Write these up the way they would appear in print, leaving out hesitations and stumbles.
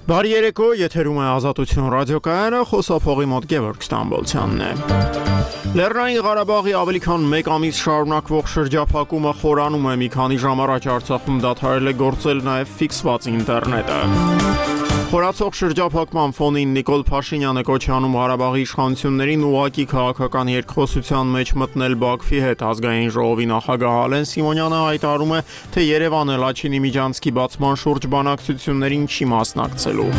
Բարի երեկո, եթերում է Ազատություն ռադիոկայանը, խոսափողի մոտ Գևորգ Ստամբոլցյանն է։ Լեռնային Ղարաբաղի ավելի քան 1 ամիս շարունակվող շրջափակումը խորանում է, մի քանի ժամ առաջ Արցախում դադարել է գործել նաև ֆիքսված ինտերնետը։ Խորացող շրջափակման ֆոնին Նիկոլ Փաշինյանը կոչ է անում Ղարաբաղի իշխանություններին ուղղակի քաղաքական երկխոսության մեջ մտնել Բաքվի հետ։ Ազգային ժողովի նախագահ Ալեն Սիմոնյանը հայտարարում է, թե Երևանը Լաչինի միջանցքի բացման շուրջ բանակցություններին չի մասնակցելու։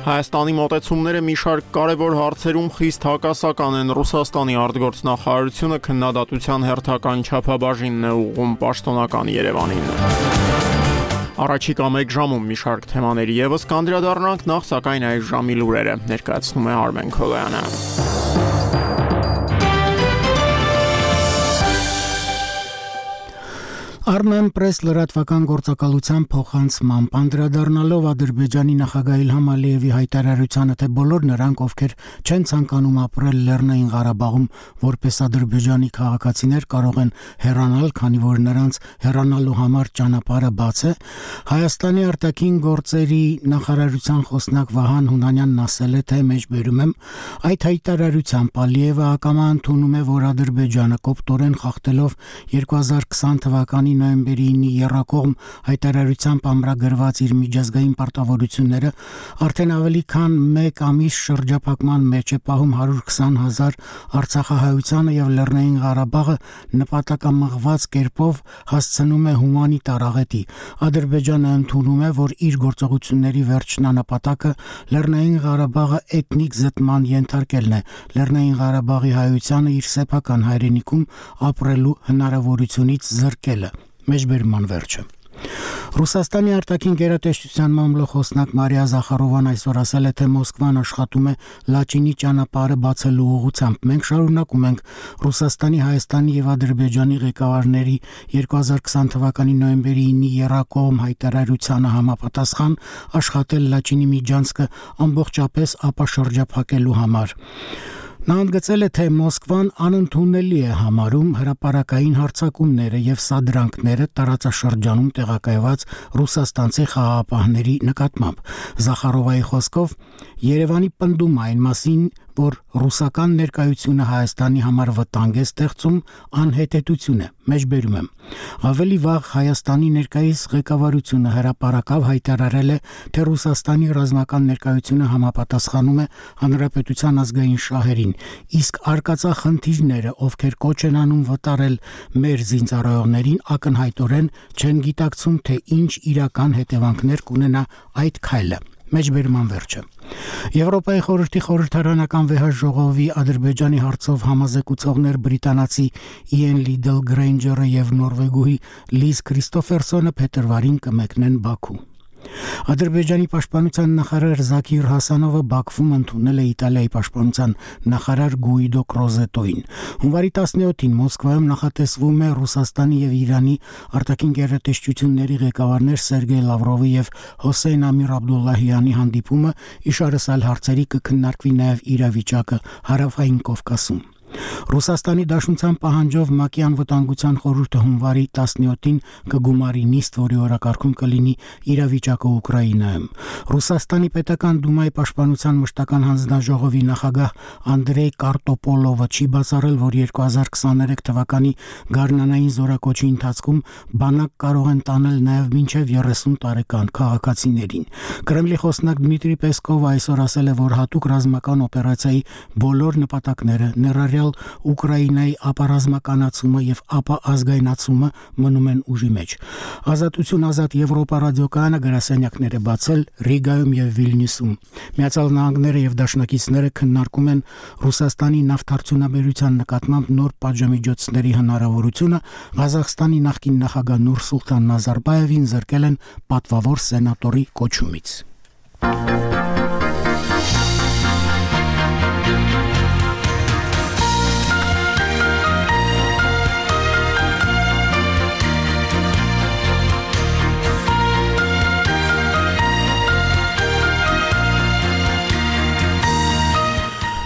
Հայաստանի մոտեցումները մի շարք կարևոր հարցերում խիստ հակասական են։ Ռուսաստանի արտգործնախարարությունը քննադատության հերթական չափաբաժինն է ուղղում պաշտոնական Երևանին։ Առաջիկա 1 ժամում մի շարք թեմաների եւս կանդրադառնանք, նախ սակայն այս ժամի լուրերը ներկայացնում է Արմեն Քոլոյանը։ Armen Press լրատվական գործակալության փոխանցմամբ անդրադառնալով Ադրբեջանի նախագահ Իլհամ Ալիևի հայտարարությանը, թե բոլոր նրանք, ովքեր չեն ցանկանում ապրել Լեռնային Ղարաբաղում որպես ադրբեջանի քաղաքացիներ, կարող են հեռանալ, քանի որ նրանց հեռանալու համար ճանապարհը բաց է, Հայաստանի արտաքին գործերի նախարարության խոսնակ Վահան Հունանյանն ասել է, թե մեջբերում եմ, այդ հայտարարությամբ Ալիևը ակամա ընդունում է, որ Ադրբեջանը կոպտորեն խախտելով 2020 թվականի նոյեմբերի 9-ի եռակողմ հայտարարությամբ ամրագրված իր միջազգային պարտավորությունները արդեն ավելի քան 1 ամիս շրջափակման մեջ է պահում 120,000 արցախահայությանը եւ Լեռնային Ղարաբաղը նպատակամղված կերպով հասցնում է հումանիտար աղետի։ Ադրբեջանը ընդունում է, որ իր գործողությունների վերջնանպատակը Լեռնային Ղարաբաղը էթնիկ զտման ենթարկելն է, Լեռնային Ղարաբաղի հայությանը իր սեփական հայրենիքում ապրելու հնարավորությունից զրկելը։ Մեջբերման վերջը։ Ռուսաստանի արտաքին գերատեսչության մամլոխոսնակ Մարիա Զախարովան այսօր ասել է, թե Մոսկվան աշխատում է Լաչինի ճանապարհը բացելու ուղղությամբ։ Մենք շարունակում ենք Ռուսաստանի, Հայաստանի եւ Ադրբեջանի ղեկավարների 2020 թվականի նոյեմբերի 9-ի եռակողմ հայտարարությանը համապատասխան աշխատել Լաչինի միջանցքը ամբողջապես ապաշրջափակելու համար։ Նա ընդգծել է, թե Մոսկվան անընդունելի է համարում հրապարակային հարձակումները եւ սադրանքները տարածաշրջանում տեղակայված ռուսաստանցի խաղաղապահների նկատմամբ։ Զախարովայի խոսքով Երևանի պնդում այն մասին, որ ռուսական ներկայությունը Հայաստանի համար վտանգ է ստեղծում, անհետեցություն է, մեջբերում եմ։ Ավելի վաղ Հայաստանի ներկայիս ղեկավարությունը հրապարակավ հայտարարել է, թե Ռուսաստանի ռազմական ներկայությունը համապատասխանում է հանրապետության ազգային շահերին, իսկ արկածախնդիրները, ովքեր կոչ են անում վտարել մեր զինծառայողներին, ակնհայտորեն չեն գիտակցում, թե ինչ իրական հետևանքներ կունենա այդ քայլը։ Մեջբերման վերջը։ Եվրոպայի խորհրդի խորհրդարանական վեհաժողովի Ադրբեջանի հարցով համազեկուցողներ բրիտանացի Իեն Լիդլ Գրեյնջերը եւ նորվեգուհի Լիզ Քրիստոֆերսոնը փետրվարին կմեկնեն Բաքու։ Ադրբեջանի պաշտպանության նախարար Զաքիր Հասանովը Բաքվում ընդունել է Իտալիայի պաշտպանության նախարար Գուիդո Կրոզետոին։ Հունվարի 17-ին Մոսկվայում նախատեսվում է Ռուսաստանի եւ Իրանի արտաքին գերատեսչությունների ղեկավարներ Սերգեյ Լավրովի եւ Հոսեյն Ամիր Աբդուլլահյանի հանդիպումը, իշարս այլ հարցերի կքննարկվի նաեւ իրավիճակը Հարավային Կովկասում։ Ռուսաստանի Դաշնության պահանջով ՄԱԿ-ի անվտանգության խորհուրդը հունվարի 17-ին կգումարի նիստ, որի օրակարգում կլինի իրավիճակը Ուկրաինայում։ Ռուսաստանի պետական դումայի պաշտպանության մշտական հանձնաժողովի նախագահ Անդրեյ Կարտոպոլովը չի բացառել, որ 2023 թվականի գարնանային զորակոչի ընթացքում բանակ կարող են տանել նաև մինչև 30 տարեկան քաղաքացիներին։ Կրեմլի խոսնակ Դմիտրի Պեսկովը այսօր ասել է, որ հատուկ ռազմական օպերացիայի բոլոր նպատակները, ներառյալ Ուկրաինայի ապառազմականացումը եւ ապաազգայնացումը մնում են ուժի մեջ։ Ազատություն ազատ Եվրոպա ռադիոկայանը գրասենյակներ է բացել Ռիգայում եւ Վիլնյուսում։ Միացյալ Նահանգները եւ դաշնակիցները քննարկում են Ռուսաստանի նավթարդյունաբերության նկատմամբ նոր պատժամիջոցների հնարավորությունը։ Ղազախստանի նախկին նախագահ Նուրսուլտան Նազարբաևին զրկել են պատվավոր սենատորի կոչումից։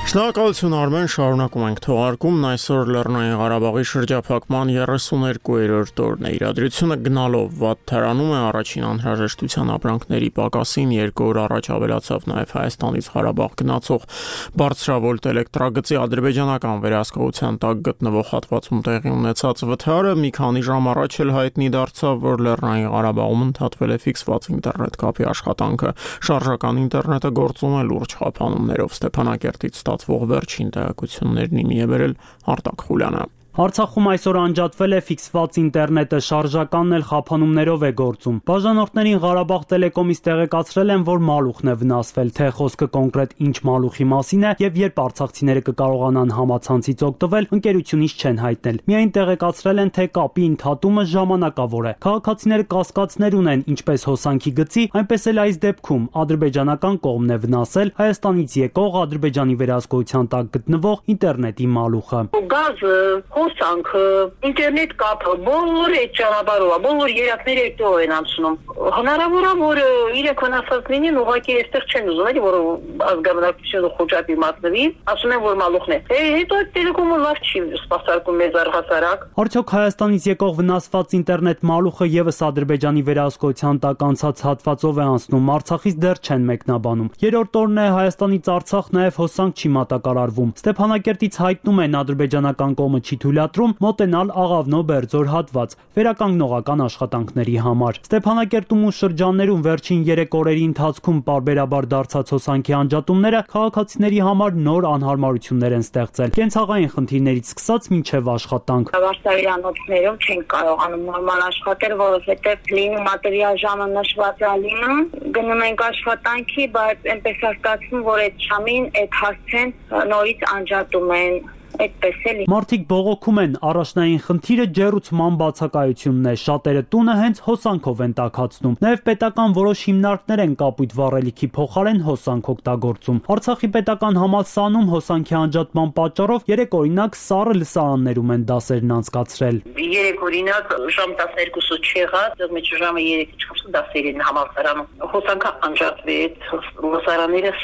Շնորհակալություն Արմեն, շարունակում ենք թողարկումն այսօր Լեռնային Ղարաբաղի շրջափակման 32-րդ օրն է։ Իրադրությունը գնալով վատ թարանում է առաջին անհրաժեշտության ապրանքների պակասին, 2 օր առաջ ավելացավ նաև Հայաստանից Ղարաբաղ գնացող բարձրավոլտ էլեկտրագծի ադրբեջանական վերահսկողության տակ գտնվող հատվածում տեղի ունեցած վթարը մի քանի ժամ առաջ էլ հայտնի դարձավ, որ Լեռնային Ղարաբաղում ընդհատվել է ֆիքսված ինտերնետ կապի աշխատանքը։ Շարժական ինտերնետը գործում է լուրջ խափանումներով։ Ստեփանակերտից ստացվող վերջին տեղեկություններն իմի է բերել Արտակ Խուլյանը։ Արցախում այսօր անջատվել է ֆիքսված ինտերնետը, շարժականն էլ խափանումներով է գործում։ Բաժանորդներին Ղարաբաղ տելեկոմից տեղեկացրել են, որ մալուխն է վնասվել, թե խոսքը կոնկրետ ինչ մալուխի մասին է եւ երբ արցախցիները կկարողանան համացանցից օգտվել, ընկերությունից չեն հայտնել։ Միայն տեղեկացրել են, թե կապի ընդհատումը ժամանակավոր է։ Քաղաքացիները կասկածներ ունեն ինչպես հոսանքի գծի, այնպես էլ այս դեպքում ադրբեջանական կողմն է վնասել Հայաստանից եկող Ադրբեջանի վերահսկողության տակ գտնվող ինտերնետի մալուխը։ Հոսանքը, ինտերնետ կապը, բոլոր այդ ճանապարհով, բոլոր երակները այդտեղ են անցնում։ Հնարավոր է, որ իրենք վնասած լինեն, ուղղակի այստեղ չեն ուզում, էլի, որ ազգաբնակությունը խոճապի մատնվի, ասում են, որ մալուխն է։ Հետո այդ տելեկոմը լավ չի սպասարկում մեզ առհասարակ։ Արդյոք Հայաստանից եկող վնասված ինտերնետ մալուխը եւս Ադրբեջանի վերահսկողության տակ անցած հատվածով է անցնում, Արցախից դեռ չեն մեկնաբանում։ Երրորդ օրն է Հայաստանից Արցախ նաեւ հոսանք չի մատակարարվում։ Ստեփանակերտից հայտնում են ադրբեջանական կողմը չի թույլատրում մոտենալ Աղավնո-Բերձոր հատված վերականգնողական աշխատանքների համար։ Ստեփանակերտում ու շրջաններում վերջին 3 օրերի ընթացքում պարբերաբար դարձած հոսանքի անջատումները քաղաքացիների համար նոր անհարմարություններ են ստեղծել։ Կենցաղային խնդիրներից սկսած մինչև աշխատանք։ Վարսավիրանոցներում չեն կարողանում նորմալ աշխատել, որովհետև լինում մատերիալ ժամը նշված է լինում, գնում ենք աշխատանքի, բայց այնպես է ստացվում, որ այդ ժամին այդ հարցեն նորից անջատում են։ Մարդիկ բողոքում են, առաջնային խնդիրը ջեռուցման բացակայությունն է, շատերը տունը հենց հոսանքով են տաքացնում։ Նաև պետական որոշ հիմնարկներ են կապույտ վառելիքի փոխարեն հոսանք օգտագործում։ Արցախի պետական համալսարանում հոսանքի անջատման պատճառով 3 օրինակ սառը լսարաններում են դասերն անցկացրել։ 3 օրինակ ժամ 12-ը չեղած, մեծ ժամը 3-ից 4 դասերին համալսարանում հոսանքը անջատվեց, լսարանները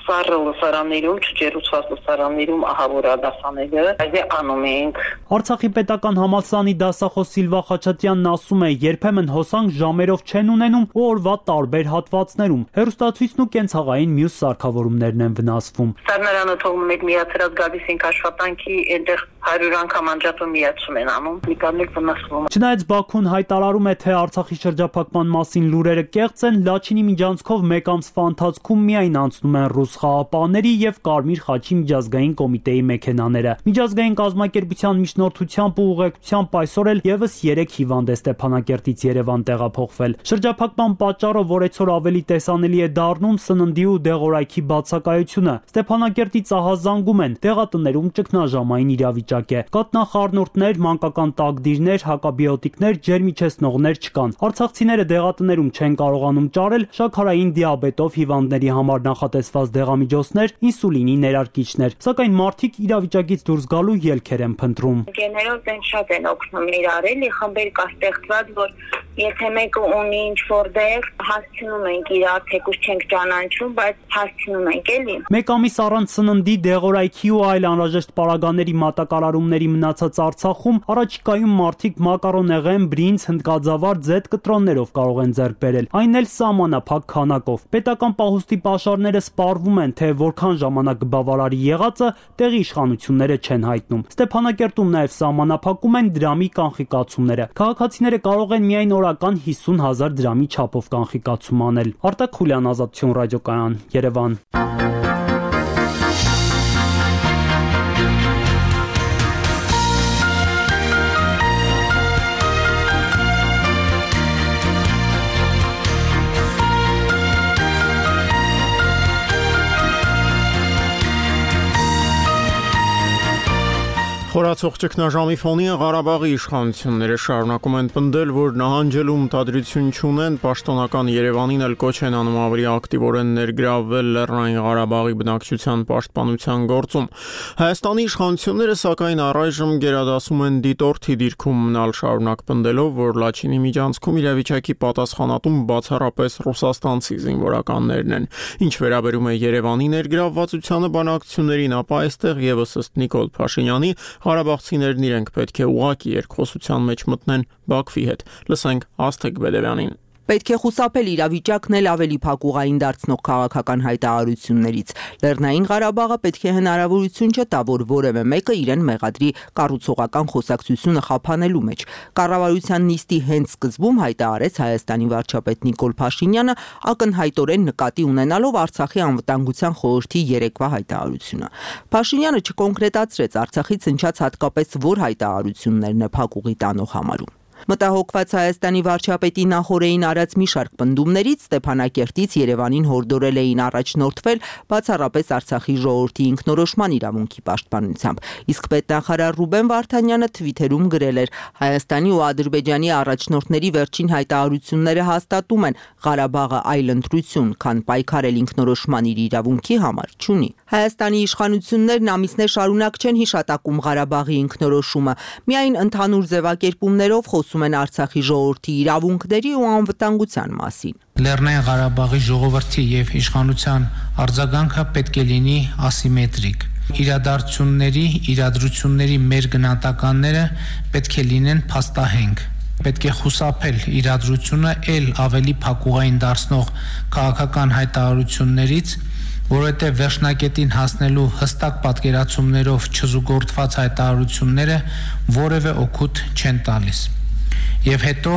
սառը լսարաններում, չջեռուցված լսարաններում ահավոր դասաները, այս է անում ենք։ Արցախի պետական համալսարանի դասախոս Սիլվա Խաչատյանն ասում է, երբեմն հոսանք ժամերով չեն ունենում ու օրվա տարբեր հատվածներում։ Հեռուստացույցն ու կենցաղային մյուս սարքավորումներն են վնասվում։ Սառնարանը թողնում եք միացրած գալիս ենք աշխատանքի, այնտեղ 100 անգամ անջատում միացում են անում, նիկաններ վնասվում։ Չնայած Բաքուն հայտարարում է, թե Արցախի շրջափակման մասին լուրերը կեղծ են, Լաչինի միջանցքով մեկ ամսվա ընթացքում միայն անցնում են ռուս խաղապահների եւ Կարմիր խաչի միջազգային կոմիտեի մեքենաները։ Միջազգային կազմակերպության միջնորդությամբ ու ուղեկցությամբ այսօր էլ եւս 3 հիվանդ է Ստեփանակերտից Երևան տեղափոխվել։ Շրջափակման պատճառով օրեցօր ավելի տեսանելի է դառնում սննդի ու դեղորայքի բացակայությունը։ Ստեփանակերտից ահազանգում են, դեղատներում ճգնաժամային իրավիճակ է։ Կատնախառնուրդներ, մանկական տակդիրներ, հակաբիոտիկներ, ջերմիչեցնողներ չկան։ Արցախցիները դեղատներում չեն կարողանում ճարել շաքարային դիաբետով հիվանդների համար նախատեսված դեղամիջոցներ, ինսուլինի ներարկիչներ, սակայն մարդիկ իրավիճակից դուրս գալու ելքեր են փնտրում։ Գեներոս են շատ են օգնում իրար, էլի խմբեր կա ստեղծված, որ եթե մեկը ունի ինչ-որ դեղ, հասցնում ենք իրար, թեկուզ չենք ճանաչում, բայց հասցնում ենք, էլի։ Մեկ ամիս առանց սննդի, դեղորայքի ու այլ անհրաժեշտ պարագաների մատակարարումների մնացած Արցախում առաջիկայում մարդիկ մակարոնեղեն, բրինձ, հնդկաձավար, ձեթ կտրոններով կարող են ձեռք բերել, այն էլ սահմանափակ քանակով։ Պետական պահուստի պաշարները սպառվում են, թե որքան ժամանակ բավարարի եղածը տեղի իշխանությունները չեն հայտնում։ Ստեփանակերտում նաև սահմանափակում են դրամի կանխիկացումները։ Քաղաքացիները կարող են միայն օրական 50,000 դրամի չափով կանխիկացում անել։ Արտակ Խուլյան, Ազատություն ռադիոկայան, Երևան։ Խորացող ճգնաժամի ֆոնին Ղարաբաղի իշխանությունները շարունակում են պնդել, որ նահանջելու մտադրություն չունեն, պաշտոնական Երևանին էլ կոչ են անում ավելի ակտիվորեն ներգրավվել Լեռնային Ղարաբաղի բնակչության պաշտպանության գործում։ Հայաստանի իշխանությունները սակայն առայժմ գերադասում են դիտորդի դիրքում մնալ, շարունակ պնդելով, որ Լաչինի միջանցքում իրավիճակի պատասխանատուն բացառապես ռուսաստանցի զինվորականներն են։ Ինչ վերաբերում է Երևանի ներգրավվածությանը բանակցություններին, ապա այստեղ եւս ըստ Նիկոլ Փաշինյանի Ղարաբաղցիներն իրենք պետք է ուղղակի երկխոսության մեջ մտնեն Բաքվի հետ։ Լսենք Աստղիկ Բեդևյանին։ Պետք է խուսափել իրավիճակն էլ ավելի փակուղային դարձնող քաղաքական հայտարարություններից։ Լեռնային Ղարաբաղը պետք է հնարավորություն չտա, որ որևէ մեկը իրեն մեղադրի կառուցողական խոսակցությունը խափանելու մեջ։ Կառավարության նիստի հենց սկզբում հայտարարեց Հայաստանի վարչապետ Նիկոլ Փաշինյանը, ակնհայտորեն նկատի ունենալով Արցախի անվտանգության խորհրդի երեկվա հայտարարությունը։ Փաշինյանը չկոնկրետացրեց Արցախից հնչած հատկապես որ հայտարարություններն է փակուղի տանող համարում։ Մտահոգված Հայաստանի վարչապետի նախօրեին արած մի շարք պնդումներից Ստեփանակերտից Երևանին հորդորել էին առաջնորդվել բացառապես Արցախի ժողովրդի ինքնորոշման իրավունքի պաշտպանությամբ։ Իսկ պետնախարար Ռուբեն Վարդանյանը թվիթերում գրել էր. Հայաստանի ու Ադրբեջանի առաջնորդների վերջին հայտարարությունները հաստատում են Ղարաբաղը այլ ընտրություն, քան պայքարել ինքնորոշման իր իրավունքի համար չունի։ Հայաստանի իշխանություններն ամիսներ շարունակ չեն հիշատակում Ղարաբաղի ինքնորոշումը, միայն ընդհանուր ձևակերպումներով խոսում են Արցախի ժողովրդի իրավունքների ու անվտանգության մասին։ Լեռնային Ղարաբաղի ժողովրդի եւ իշխանության արձագանքը պետք է լինի ասիմետրիկ։ Իրադրությունների մեր գնահատականները պետք է լինեն փաստահենք։ Պետք է խուսափել իրադրությունը ել ավելի փակուղային դարձնող քաղաքական հայտարարություններից, որովհետև վերջնակետին հասնելու հստակ պատկերացումներով չզուգորդված հայտարարությունները որևէ օգուտ չեն տալիս։ Եվ հետո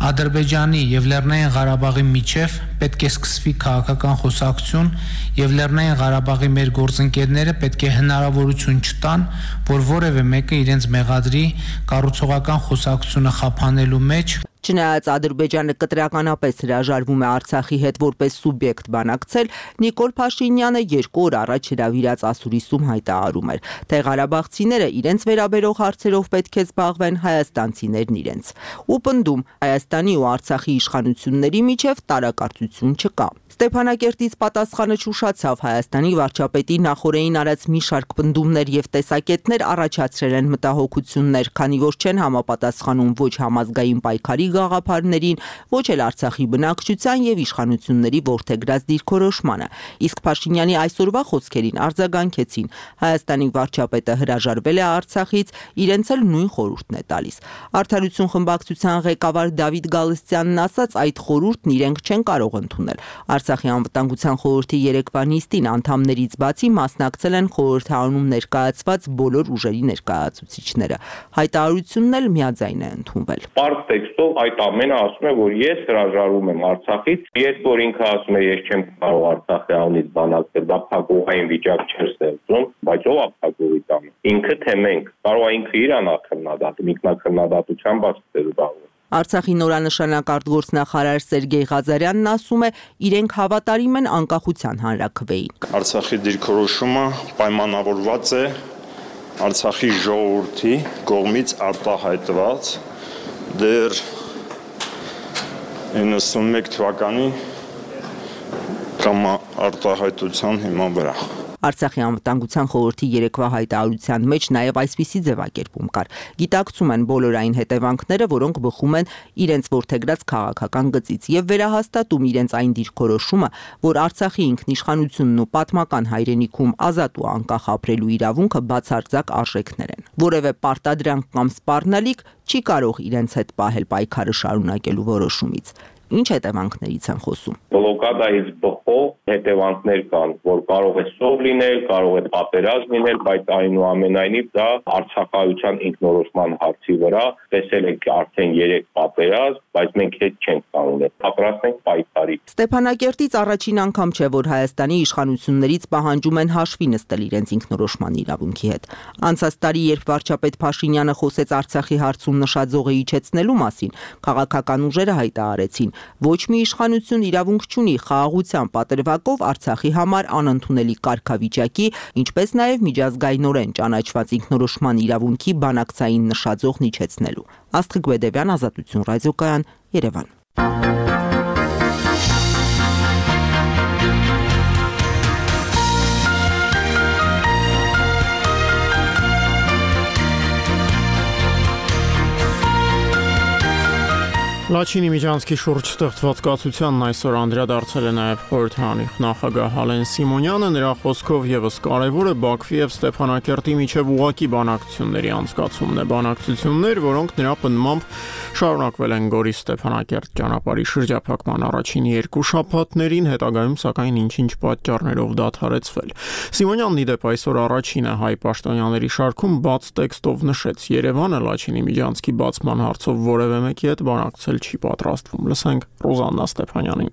Ադրբեջանի եւ Լեռնային Ղարաբաղի միջև պետք է սկսվի քաղաքական խոսակցություն եւ Լեռնային Ղարաբաղի մեր գործընկերները պետք է հնարավորություն չտան, որ որևէ մեկը իրենց մեղադրի կառուցողական խոսակցությունը խափանելու մեջ։ Չնայած Ադրբեջանը կտրականապես հրաժարվում է Արցախի հետ որպես սուբյեկտ բանակցել, Նիկոլ Փաշինյանը 2 օր առաջ հրավիրած ասուրիսում հայտարարում էր, թե ղարաբաղցիները իրենց վերաբերող հարցերով պետք է զբաղվեն, հայաստանցիներն իրենց։ Ու պնդում Հայաստանի ու Արցախի իշխանությունների միջև տարակարծություն չկա։ Ստեփանակերտից պատասխանը չուշացավ Հայաստանի վարչապետի նախօրեին արած մի շարք պնդումներ եւ տեսակետներ առաջացրել են մտահոգություններ, քանի որ չեն համապատասխանում ոչ համազգային պայքարի գաղափարներին, ոչ էլ Արցախի բնակչության եւ իշխանությունների ворթեգրած դիրքորոշմանը։ Իսկ Փաշինյանի այսօրվա խոսքերին արձագանքեցին. Հայաստանի վարչապետը հրաժարվել է Արցախից, իրենց էլ նույն խորհուրդն է տալիս։ Արդարություն խմբակցության ղեկավար Դավիթ Գալստյանն ասաց, այդ խորհուրդն իրենք չեն կարող ընդունել։ Արցախի անվտանգության խորհրդի երեկվա նիստին անդամներից բացի մասնակցել են խորհրդարանում ներկայացված բոլոր ուժերի ներկայացուցիչները։ Հայտարարությունն էլ միաձայն է ընդունվել։ Պարզ տեքստով այդ ամենը ասում է, որ ես հրաժարվում եմ Արցախից, երբ որ ինքը ասում է, ես չեմ կարող Արցախի անունից բանակցել, դա փակուղային վիճակ չէր ստեղծում, բայց ով է փակուղի տանը։ Ինքը թե մենք, կարող է ինքը իր անքննադատում, ինքնակննադատությամբ ասել բաղում։ Արցախի նորանշանակ արտգործնախարար Սերգեյ Ղազարյանն ասում է, իրենք հավատարիմ են անկախության հանրաքվեին։ Արցախի դիրքորոշումը պայմանավորված է Արցախի ժողովրդի կողմից արտահայտված դեռ 91 թվականի կամ արտահայտության հիման վրա։ Արցախի անվտանգության խորհրդի երեկվա հայտարարության մեջ նաև այսպիսի ձևակերպում կար։ Գիտակցում են բոլոր այն հետևանքները, որոնք բխում են իրենց ворթեգրած քաղաքական գծից եւ վերահաստատում իրենց այն դիրքորոշումը, որ Արցախի ինքնիշխանությունն ու պատմական հայրենիքում ազատ ու անկախ ապրելու իրավունքը բացարձակ արժեքներ են։ Որևէ պարտադրանք կամ սպառնալիք չի կարող իրենց հետ պահել պայքարը շարունակելու որոշումից։ Ինչ հետևանքներից են խոսում։ Բլոկադայից բխող հետևանքներ կան, որ կարող է սով լինել, կարող է պատերազմ լինել, բայց այնուամենայնիվ դա արցախայության ինքնորոշման հարցի վրա տեսել եք արդեն 3 պատերազմ, բայց մենք հետ չենք կանգնել, պատրաստ ենք պայքարի։ Ստեփանակերտից առաջին անգամ չէ, որ Հայաստանի իշխանություններից պահանջում են հաշվի նստել իրենց ինքնորոշման իրավունքի հետ։ Անցած տարի, երբ վարչապետ Փաշինյանը խոսեց Արցախի հարցում նշած զոհը իջեցնելու մասին, քաղաքական ուժերը հայտարարեցին, ոչ մի իշխանություն իրավունք չունի խաղաղության պատրվակով Արցախի համար անընդունելի կարգավիճակի, ինչպես նաև միջազգայինորեն ճանաչված ինքնորոշման իրավունքի բանակցային նշաձողն իջեցնելու։ Աստղիկ Բեդևյան, Ազատություն ռադիոկայան, Երևան։ Լաչինի Միջանցքի շուրջ ստեղծված կացությանն այսօր անդրադարձել է նաև խորհրդարանի նախագահ Ալեն Սիմոնյանը, նրա խոսքով եւս կարևոր է Բաքվի եւ Ստեփանակերտի միջև ուղղակի բանակցությունների անցկացումն է, բանակցություններ, որոնք նրա պնդմամբ շարունակվել են Գորի Ստեփանակերտ ճանապարհի շրջափակման առաջին 2 շաբաթներին, հետագայում սակայն ինչ-ինչ պատճառներով դադարեցվել։ Սիմոնյանն ի դեպ այսօր առաջինը հայ պաշտոնյաների շարքում բաց տեքստով նշեց. Երևանը Լաչինի Միջանցքի բացման հարցով որևէ մեկի հետ բանակցել չի պատրաստվում։ Լսենք Ռոզաննա Ստեփանյանին։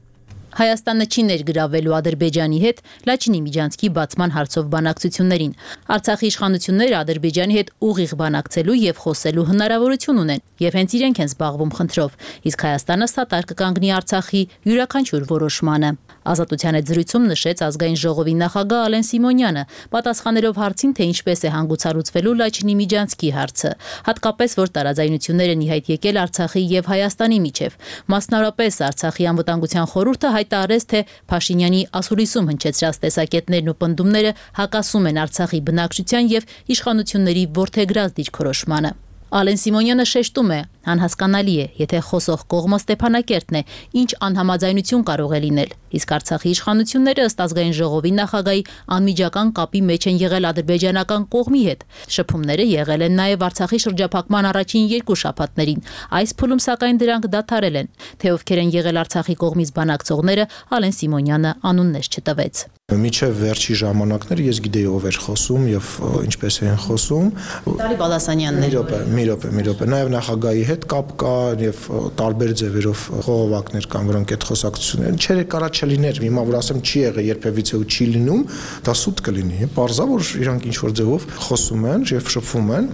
Հայաստանը չի ներգրավելու Ադրբեջանի հետ Լաչինի Միջանցքի բացման հարցով բանակցություններին։ Արցախի իշխանությունները Ադրբեջանի հետ ուղիղ բանակցելու եւ խոսելու հնարավորություն ունեն, եւ հենց իրենք են զբաղվում խնդրով, իսկ Հայաստանը սատար կկանգնի Արցախի յուրաքանչյուր որոշմանը։ Ազատության հետ զրույցում նշեց ազգային ժողովի նախագահ Ալեն Սիմոնյանը, պատասխանելով հարցին, թե ինչպես է հանգուցալուծվելու Լաչինի Միջանցքի հարցը, հատկապես որ տարաձայնություններ են ի հայտ եկել Արցախի եւ Հայաստանի միջև։ Մասնավորապես Արցախի անվտանգության խորհուրդը հայտարարեց, թե Փաշինյանի ասուլիսում հնչեցրած տեսակետներն ու պնդումները հակասում են Արցախի բնակչության եւ իշխանությունների ворթեգրած դիրքորոշմանը։ Ալեն Սիմոնյանը շեշտում է, անհասկանալի է, եթե խոսող կողմը Ստեփանակերտն է, ինչ անհամաձայնություն կարող է լինել, իսկ Արցախի իշխանությունները ըստ ազգային ժողովի նախագահի անմիջական կապի մեջ են եղել ադրբեջանական կողմի հետ։ Շփումները եղել են նաև Արցախի շրջափակման առաջին 2 շաբաթներին։ Այս փուլում սակայն դրանք դադարել են։ Թե ովքեր են եղել Արցախի կողմից բանակցողները, Ալեն Սիմոնյանը անուններ չտվեց։ Միջև վերջի ժամանակները ես գիտեի ով էր խոսում եւ ինչպես էին խոսում։ Վիտալի Բալասանյանն էր։ Մի րոպե, նաև նախագահի հետ կապ կա եւ տարբեր ձևերով խողովակներ կան, որոնք այդ խոսակցությունները չէր կարա չլիներ, հիմա որ ասեմ չի եղել երբևիցե ու չի լինում, դա սուտ կլինի։ Պարզա որ իրանք ինչ որ ձևով խոսում են եւ շփվում են։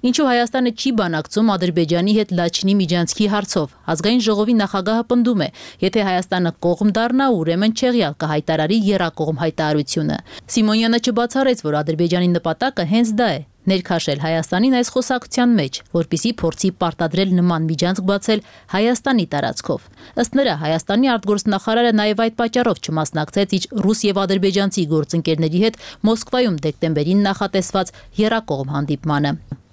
Ինչու Հայաստանը չի բանակցում Ադրբեջանի հետ Լաչինի Միջանցքի հարցով։ Ազգային ժողովի նախագահը պնդում է, եթե Հայաստանը կողմ դառնա, ուրեմն չեղյալ կհայտարարի եռակողմ հայտարարությունը։ Սիմոնյանը չբացառեց, որ Ադրբեջանի նպատակը հենց դա է՝ ներքաշել Հայաստանին այս խոսակցության մեջ, որպիսի փորձի պարտադրել նման միջանցք բացել Հայաստանի տարածքով։ Ըստ նրա, Հայաստանի արտգործնախարարը նաև այդ պատճառով չմասնակցեց իր ռուս եւ ադրբեջանցի գործընկերների հետ Մոսկվայում դեկտեմբերին նախատեսված եռակողմ հանդիպմանը։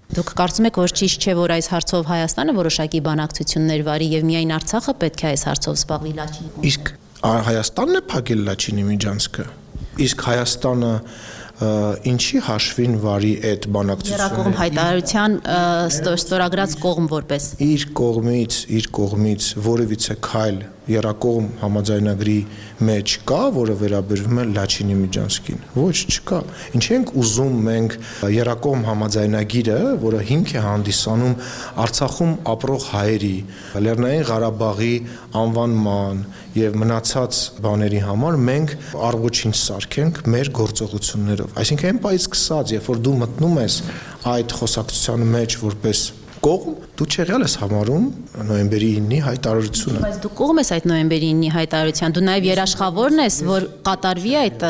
Դուք կարծում եք, որ ճիշտ չէ, որ այս հարցով Հայաստանը որոշակի բանակցություններ վարի եւ միայն Արցախը պետք է այս հարցով զբաղվի Լաչինի։ Իսկ Հայաստանն է փակել Լաչինի Միջանցքը։ Իսկ Հայաստանը ինչի հաշվին վարի այդ բանակցությունը։ Եռակողմ հայտարարության ստորագրած կողմ որպես։ Իր կողմից որևիցե քայլ եռակողմ համաձայնագրի մեջ կա, որը վերաբերվում է Լաչինի Միջանցքին։ Ոչ, չկա։ Ինչ ենք ուզում մենք եռակողմ համաձայնագիրը, որը հիմք է հանդիսանում Արցախում ապրող հայերի, Լեռնային Ղարաբաղի անվանման եւ մնացած բաների համար մենք առողջին սարքենք մեր գործողություններով։ Այսինքն այն պայից սկսած, երբ որ դու մտնում ես այդ խոսակցության մեջ որպես կողմ, դու չեղյալ ես համարում նոյեմբերի 9-ի հայտարարությունը։ Բայց դու կողմ ես այդ նոյեմբերի 9-ի հայտարարության, դու նաև երաշխավորն ես, որ կատարվի այդ։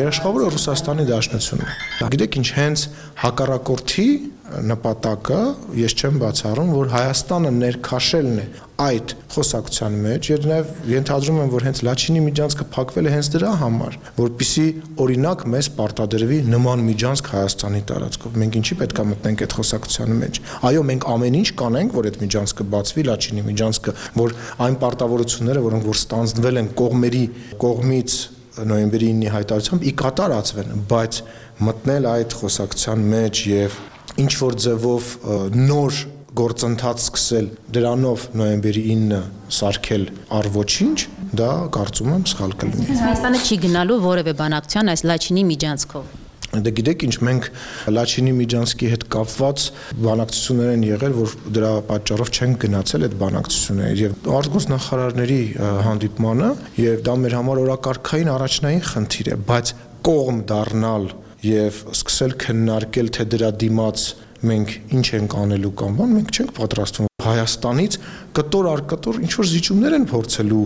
Երաշխավորը Ռուսաստանի Դաշնությունն է։ Գիտեք ինչ, հենց հակառակորդի նպատակը ես չեմ բացառում, որ Հայաստանը ներքաշելն է այդ խոսակցության մեջ, եւ նաեւ ենթադրում եմ, որ հենց Լաչինի Միջանցքը փակվել է հենց դրա համար, որպիսի օրինակ մեզ պարտադրվի նման միջանցք Հայաստանի տարածքով։ Մենք ինչի պետք է մտնենք այդ խոսակցության մեջ։ Այո, մենք ամեն ինչ կանենք, որ այդ միջանցքը բացվի, Լաչինի Միջանցքը, որ այն պարտավորությունները, որոնք որ ստանձնվել են կողմերի կողմից նոյեմբերի 9-ի հայտարարությամբ ի կատարածվեն, բայց մտնել այդ խոսակցության մեջ եւ ինչ որ ձևով նոր գործընթաց սկսել դրանով նոյեմբերի 9-ը սարքել առ ոչինչ, դա կարծում եմ սխալ կլինի։ Հայաստանը չի գնալու որևէ բանակցության այս Լաչինի Միջանցքով։ Դե գիտեք ինչ, մենք Լաչինի Միջանցկի հետ կապված բանակցություններ են եղել, որ դրա պատճառով չեն գնացել այդ բանակցությունները եւ արտգործնախարարների հանդիպմանը եւ դա մեր համար օրակարգային առաջնային խնդիր է, բայց կողմ դառնալ եւ սկսել քննարկել, թե դրա դիմաց մենք ինչ ենք անելու կամ բան, մենք չենք պատրաստվում Հայաստանից կտոր առ կտոր ինչ որ զիջումներ են փորձելու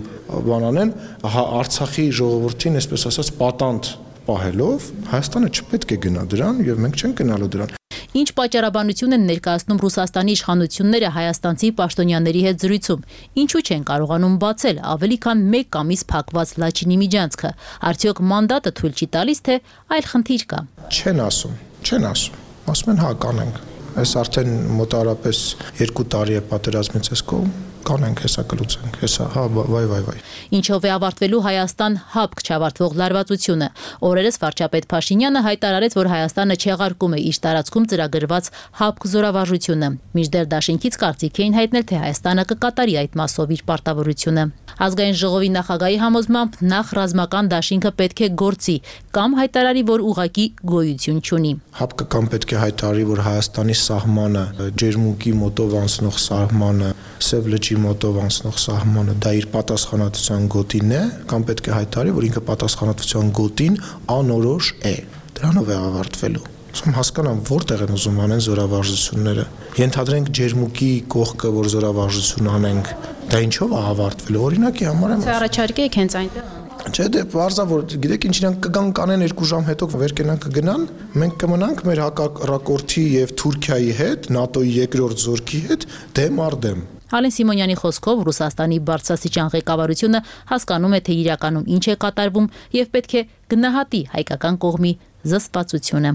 բանանեն Արցախի ժողովրդին, այսպես ասած, պատանդ պահելով, Հայաստանը չպետք է գնա դրան եւ մենք չենք գնալու դրան։ Ինչ պատճառաբանություն են ներկայացնում Ռուսաստանի իշխանությունները հայաստանցի պաշտոնյաների հետ զրույցում։ Ինչու չեն կարողանում բացել ավելի քան 1 ամիս փակված Լաչինի միջանցքը։ Արդյոք մանդատը թույլ չի տալիս, թե այլ խնդիր կա։ Չեն ասում։ Ասում են հա կանենք։ Այս արդեն մոտարապես 2 տարի է պատերազմից այս կողմ, կանենք, հեսա կլուծենք, հեսա, հա, վայ։ Ինչով է ավարտվելու Հայաստան հապկ չավարտվող լարվածությունը։ Օրերս վարչապետ Փաշինյանը հայտարարեց, որ Հայաստանը չեղարկում է իր տարածքում ծրագրված հապկ զորավարժությունը։ Մինչդեռ դաշինքից կարծիք էին հայտնել, թե Հայաստանը կկատարի այդ մասով իր պարտավորությունը։ Ազգային ժողովի նախագահի համոզմամբ նախ ռազմական դաշինքը պետք է գործի կամ հայտարարի, որ ուղղակի գոյություն չունի։ Հապկը կամ պետք է հայտարարի, որ Հայաստանի սահմանը, Ջերմուկի մոտով անցնող սահմանը, Սև լճի մոտով անցնող սահմանը դա իր պատասխանատվության գոտին է, կամ պետք է հայտարարի, որ ինքը պատասխանատվության գոտին անորոշ է։ Դրանով է ավարտվելու։ Ուսում հասկանամ, որտեղ են ուզում անեն զորավարժությունները։ Ենթադրենք Ջերմուկի կողքը, որ զորավարժություն անենք, դա ինչով է ավարտվելու։ Օրինակի համար եմ։ Թե առաջարկեք հենց այնտեղ։ Չէ, դե բարձա որ գիտեք ինչ իրանք կգան կանեն 2 ժամ հետո վեր կենան կգնան, մենք կմնանք մեր հակառակորդի եւ Թուրքիայի հետ, ՆԱՏՕ-ի երկրորդ զորքի հետ դեմ առ դեմ։ Ալեն Սիմոնյանի խոսքով Ռուսաստանի բարձրաստիճան ղեկավարությունը հասկանում է, թե իրականում ինչ է կատարվում եւ պետք է գնահատի հայկական կողմի զսպվածությունը։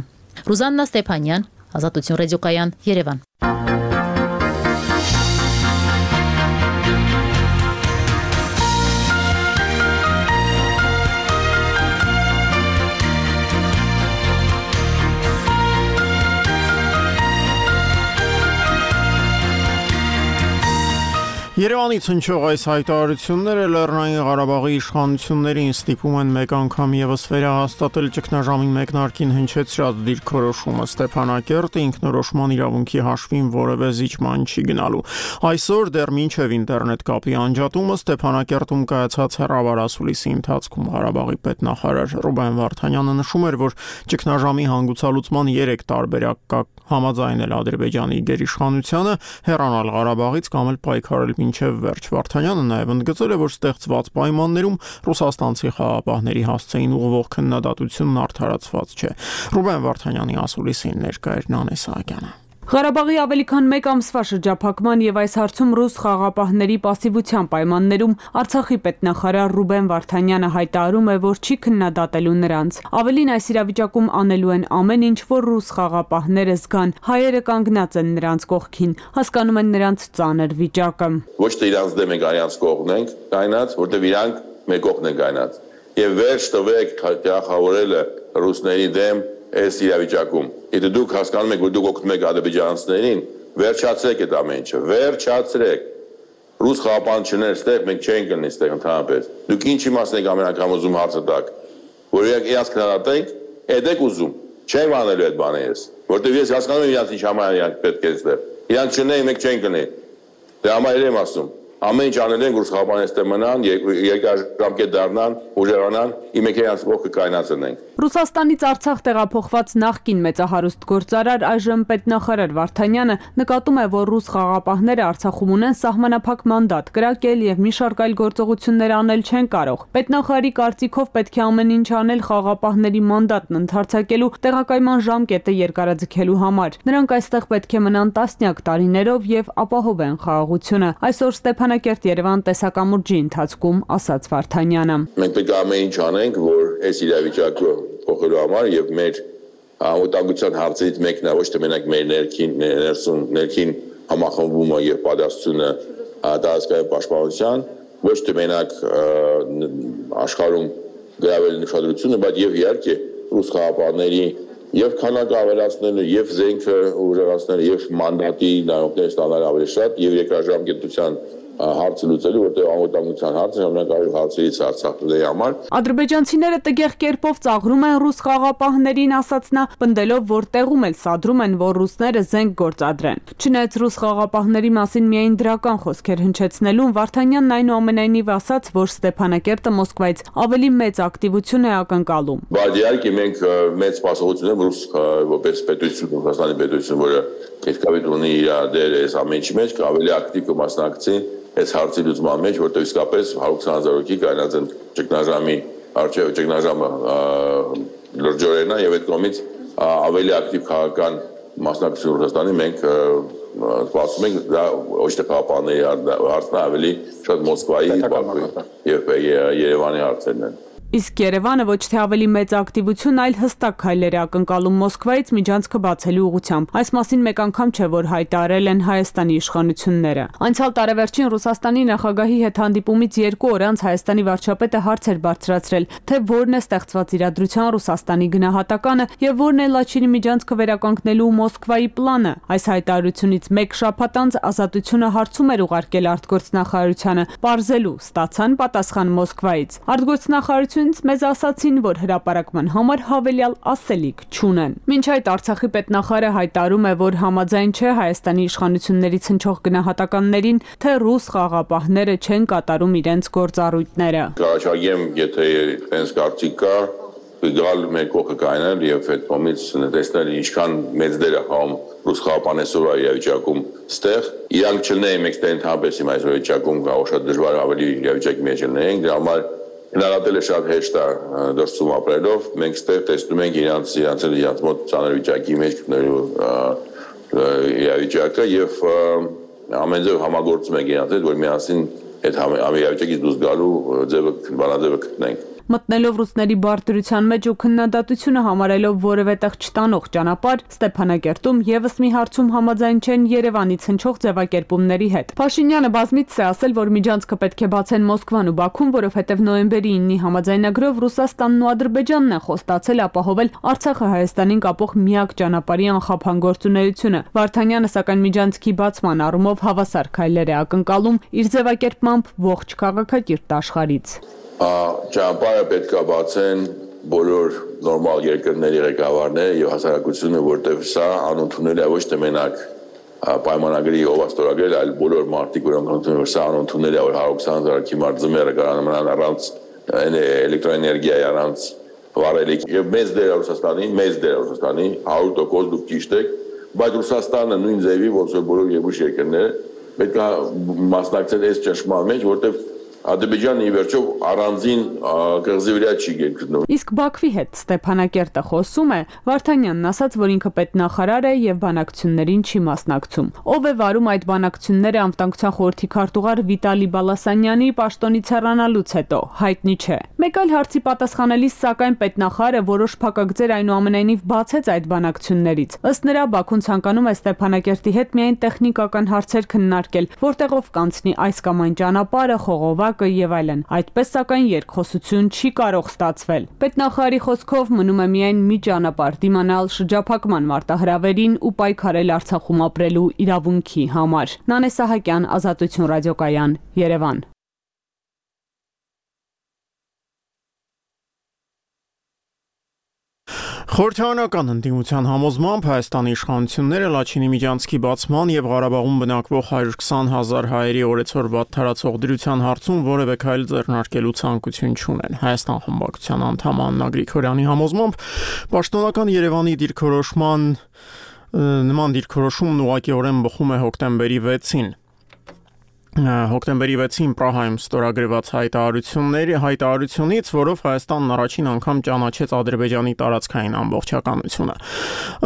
Ռուզաննա Ստեփանյան, Ազատություն ռադիոկայան, Երևան։ Երևանից հնչող այս հայտարարությունները Լեռնային Ղարաբաղի իշխանություններին ստիպում են մեկ անգամ եւս վերահաստատել ճգնաժամի մեկնարկին հնչեցրած դիրքորոշումը Ստեփանակերտը ինքնորոշման իրավունքի հաշվին որևէ զիջման չի գնալու։ Այսօր դեռ մինչև ինտերնետ կապի անջատումը Ստեփանակերտում կայացած հեռավարասուլիսի ընթացքում Ղարաբաղի պետնախարար Ռուբեն Վարդանյանը նշում էր, որ ճգնաժամի հանգուցալուծման 3 տարբերակ կա՝ համաձայնել Ադրբեջանի գերիշխանությանը, հեռանալ Ղարաբաղից կամ էլ պայքարել մինչև վերջ։ Վարդանյանը նաև ընդգծել է, որ ստեղծված պայմաններում ռուսաստանցի խաղաղապահների հասցեին ուղղվող քննադատությունն արդարացված չէ։ Ռուբեն Վարդանյանի ասուլիսին ներկա էր Նանե Սահակյանը։ Ղարաբաղի ավելի քան 1 ամսվա շրջափակման եւ այս հարցում ռուս խաղաղապահների պասիվության պայմաններում Արցախի պետնախարար Ռուբեն Վարդանյանը հայտարարում է, որ չի քննադատելու նրանց։ Ավելին, այս իրավիճակում անելու են ամեն ինչ, որ ռուս խաղաղապահները զգան, հայերը կանգնած են նրանց կողքին, հասկանում են նրանց ծանր վիճակը։ Ոչ թե իրանց դեմ ենք արյանց կողքն ենք կայնած, որտեղ իրանք մեր կողքն են կայնած։ Եվ վերջ տվեք թիրախավորելը ռուսների դեմ այս իրավիճակում։ Եթե դուք հասկանում եք, որ դուք օգնում եք ադրբեջանցիներին, վերջացրեք այդ ամեն ինչը, վերջացրեք։ Ռուս խաղաղապահներ ստեղ մենք չենք գտնի ստեղ ընդհանրապես։ Դուք ինչ իմաստ եք ամեն անգամ ուզում հարցը տակ, որ իրանց քննադատենք, եք ուզում։ Չեմ անելու այդ բանը ես, որտեղ ես հասկանում եմ իրանց ինչ համար իրանք պետք է ստեղ։ Իրանք չունեն, մենք չենք գտնի։ Դե համար եմ ասում։ Ամեն ինչ անել են, որ խաղապանները ստե մնան, երկարաժամկետ դառնան, ուժեղանան, իմեքերանց ողքը կայնացնենք։ Ռուսաստանից Արցախ տեղափոխված նախկին մեծահարուստ գործարար այժմ պետնախարար Վարդանյանը նկատում է, որ ռուս խաղաղապահները Արցախում ունեն սահմանափակ մանդատ կրակել եւ մի շարք այլ գործողություններ անել չեն կարող։ Պետնախարարի կարծիքով պետք է ամեն ինչ անել խաղաղապահների մանդատն ընդարձակելու, տեղակայման ժամկետը երկարաձգելու համար։ Նրանք այստեղ պետք է մնան տասնյակ տարիներով եւ ապահովեն խաղաղությունը։ Այսօր Ստեփանակերտ Երևան տեսակամուրջի ընթացքում ասաց Վարդանյանը։ Մենք պետք է ամեն ինչ անենք, որ այս իրավիճակը փոխելու համար եւ մեր անվտանգության հարցերից մեկն է ոչ թե մենակ մեր ներքին համախմբումը եւ պատասխանությունը տարածքային պաշտպանության, ոչ թե մենակ աշխարհում գրավել նշադրությունը, բայց եւ իհարկե ռուս խաղաղապահների եւ քանակը ավելացնելը, եւ զենքը ուժեղացնելը, եւ մանդատի նայողներ ստանալ ավելի շատ, եւ երկրաժամկետության հարցը լուծելու, որտեղ անվտանգության հարցը ժամանակավոր հարցերից Արցախի համար։ Ադրբեջանցիները տգեղ կերպով ծաղրում են ռուս խաղապահներին, ասաց նա, պնդելով, որ տեղում էլ սադրում են, որ ռուսները զենք գործադրեն։ Չնայած ռուս խաղապահների մասին միայն դրական խոսքեր հնչեցնելուն, Վարդանյանն այնուամենայնիվ ասաց, որ Ստեփանակերտը Մոսկվայից ավելի մեծ ակտիվություն է ակնկալում։ Բայց իհարկե մենք մեծ սպասողություն ենք ռուս որպես պետություն, Ռուսաստանի պետություն, որը պետքավետ ունի իր դեր այս ամենի մեջ, ավելի ակտիվ կմասնակցի այս հարցի լուծման մեջ, որտեղ իսկապես 120,000 հոգի կայնած են ճգնաժամի արժեվ ճգնաժամը լրջորենա եւ այդ կողմից ավելի ակտիվ քաղաքական մասնակցություն Ռուսաստանի մենք սպասում ենք դա ոչ թե խաղապահների հարցն ավելի շատ Մոսկվայի եւ Երևանի հարցերն են։ Իսկ Երևանը ոչ թե ավելի մեծ ակտիվություն, այլ հստակ քայլեր է ակնկալում Մոսկվայից միջանցքը բացելու ուղղությամբ։ Այս մասին մեկ անգամ չէ, որ հայտարարել են Հայաստանի իշխանությունները։ Անցյալ տարեվերջին Ռուսաստանի նախագահի հետ հանդիպումից 2 օր անց Հայաստանի վարչապետը հարց էր բարձրացրել, թե որն է ստեղծված իրադրության Ռուսաստանի գնահատականը եւ որն է Լաչինի միջանցքը վերականգնելու Մոսկվայի պլանը։ Այս հայտարարությունից 1 շաբաթ անց Ազատությունը հարցում էր ուղարկել արտգործնախարարությանը, պարզելու ստացան պատասխան Մոսկվայից։ Արտգործնախարարությունը մեզ ասացին, որ հրապարակման համար հավելյալ ասելիք չունեն։ Մինչ այդ Արցախի պետնախարարը հայտարարում է, որ համաձայն չէ Հայաստանի իշխանություններից հնչող գնահատականներին, թե ռուս խաղապահները չեն կատարում իրենց գործառույթները։ Կարաչագեմ, եթե այնպես կարծիք կա, գալ մեր կողքը կայանել եւ այդ կողմից տեսնել ինչքան մեծ դեր է խաղում ռուս խաղապանեսորը իրավիճակում ստեղ։ Իրանք չլինեին մեկ ստենթաբես իմ այս իրավիճակում կարող շատ դժվար ավելի իրավիճակի մեջ լինեին, դրա համար հնարատել է շատ հեշտ է դրսում ապրելով, մենք ստեղ տեսնում ենք իրանց մոտ ծանր վիճակի մեջ գտնելու իրավիճակը եւ ամեն ձև համագործում ենք իրանց հետ, որ միասին այդ իրավիճակից դուրս գալու բանաձևը գտնենք։ Մտնելով ռուսների բարդրության մեջ ու քննադատությունը համարելով որևէ տեղ չտանող ճանապարհ, Ստեփանակերտում եւս մի հարցում համաձայն չեն Երևանից հնչող ձևակերպումների հետ։ Փաշինյանը բազմիցս է ասել, որ միջանցքը պետք է բացեն Մոսկվան ու Բաքուն, որովհետեւ նոյեմբերի 9-ի համաձայնագրով Ռուսաստանն ու Ադրբեջանն են խոստացել ապահովել Արցախը Հայաստանին կապող միակ ճանապարհի անխափան գործունեությունը։ Վարդանյանը սակայն միջանցքի բացման առումով հավասար քայլեր է ակնկալում իր ձևակերպմամբ ողջ քաղաքակիրթ աշխարհից։ Ճանապարհը պետք է բացեն բոլոր նորմալ երկրների ղեկավարները եւ հասարակությունը, որտեղ սա անընդունելի է ոչ թե մենակ պայմանագրի ով ստորագրել, այլ բոլոր մարդիկ, որոնք ընդունում են սա անընդունելի է, որ 120,000 քիմար ձմերը կարողանան առանց էլեկտրոէներգիայի, առանց վառելիքի եւ մեծ դեր Ռուսաստանի 100% դուք ճիշտ եք, բայց Ռուսաստանը նույն ձևի ոնց որ բոլոր երկու երկրները պետք է մասնակցեն այս ճնշման մեջ, որտեղ Ադրբեջանը ի վերջո առանձին կղզի վրա չի գտնվում։ Իսկ Բաքվի հետ Ստեփանակերտը խոսում է, Վարդանյանն ասաց, որ ինքը պետնախարար է եւ բանակցություններին չի մասնակցում։ Ով է վարում այդ բանակցությունները անվտանգության խորհրդի քարտուղար Վիտալի Բալասանյանի պաշտոնից հեռանալուց հետո հայտնի չէ։ Մեկ այլ հարցի պատասխանելիս սակայն պետնախարարը որոշ փակագծեր այնուամենայնիվ բացեց այդ բանակցություններից։ Ըստ նրա Բաքուն ցանկանում է Ստեփանակերտի հետ միայն տեխնիկական հարցեր քննարկել, որտեղով կանցնի այս կամ այն ճանապարհը, խողովակը եւ այլն։ Այդպես սակայն երկխոսություն չի կարող ստացվել։ Պետնախարարի խոսքով մնում է միայն մի ճանապարհ՝ դիմանալ շրջափակման մարտահրավերին ու պայքարել Արցախում ապրելու իրավունքի համար։ Նանե Սահակյան, Ազատություն ռադիոկայան, Երևան։ Խորհրդարանական ընդդիմության համոզմամբ Հայաստանի իշխանությունները Լաչինի միջանցքի բացման եւ Ղարաբաղում բնակվող 120,000 հայերի օրեցօր վատթարացող դրության հարցում որևէ քայլ ձեռնարկելու ցանկություն չունեն։ Հայաստան խմբակցության անդամ Աննա Գրիգորյանի համոզմամբ պաշտոնական Երևանի նման դիրքորոշումն ուղղակիորեն բխում է հոկտեմբերի 6-ին։ Հոկտեմբերի 6-ին Պրահայում ստորագրված հայտարարությունից, որով Հայաստանն առաջին անգամ ճանաչեց Ադրբեջանի տարածքային ամբողջականությունը։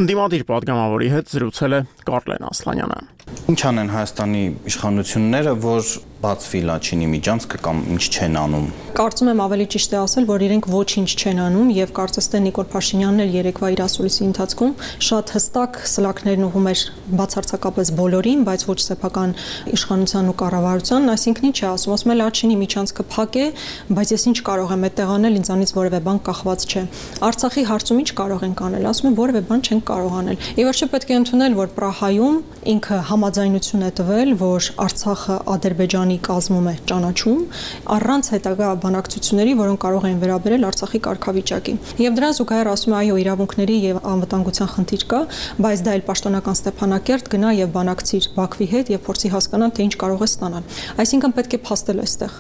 Ընդդիմադիր պատգամավորի հետ զրուցել է Կարլեն Ասլանյանը։ Ինչ անեն Հայաստանի իշխանությունները, որ բացվի Լաչինի միջանցքը կամ ինչ չեն անում։ Կարծում եմ ավելի ճիշտ է ասել, որ իրենք ոչինչ չեն անում եւ կարծես թե Նիկոլ Փաշինյանն էլ երեկվա իր ասուլիսի ընթացքում շատ հստակ սլաքներն ուղում էր բացարձակապես բոլորին, բայց ոչ սեփական իշխանության ու կառավարությանն, այսինքն ինչ է ասում է Լաչինի միջանցքը փակ է, բայց ես ինչ կարող եմ այդտեղ անել, ինձանից որևէ բան կախված չէ։ Արցախի հարցում ինչ կարող ենք անել, ասում եմ որևէ բան չենք կարող անել։ Ի վերջո պետք է ընդունել, որ Պրահայում ինքը համաձայնություն է տվել, որ Արցախը Ադրբեջանի Ադրբեջանի կազմում է ճանաչում առանց հետագա բանակցությունների, որոնք կարող են վերաբերել Արցախի կարգավիճակին։ Եվ դրան զուգահեռ ասում է, այո, իրավունքների եւ անվտանգության խնդիր կա, բայց դա էլ պաշտոնական Ստեփանակերտ գնա եւ բանակցիր Բաքվի հետ եւ փորձի հասկանալ, թե ինչ կարող է ստանալ։ Այսինքն պետք է փաստել այստեղ,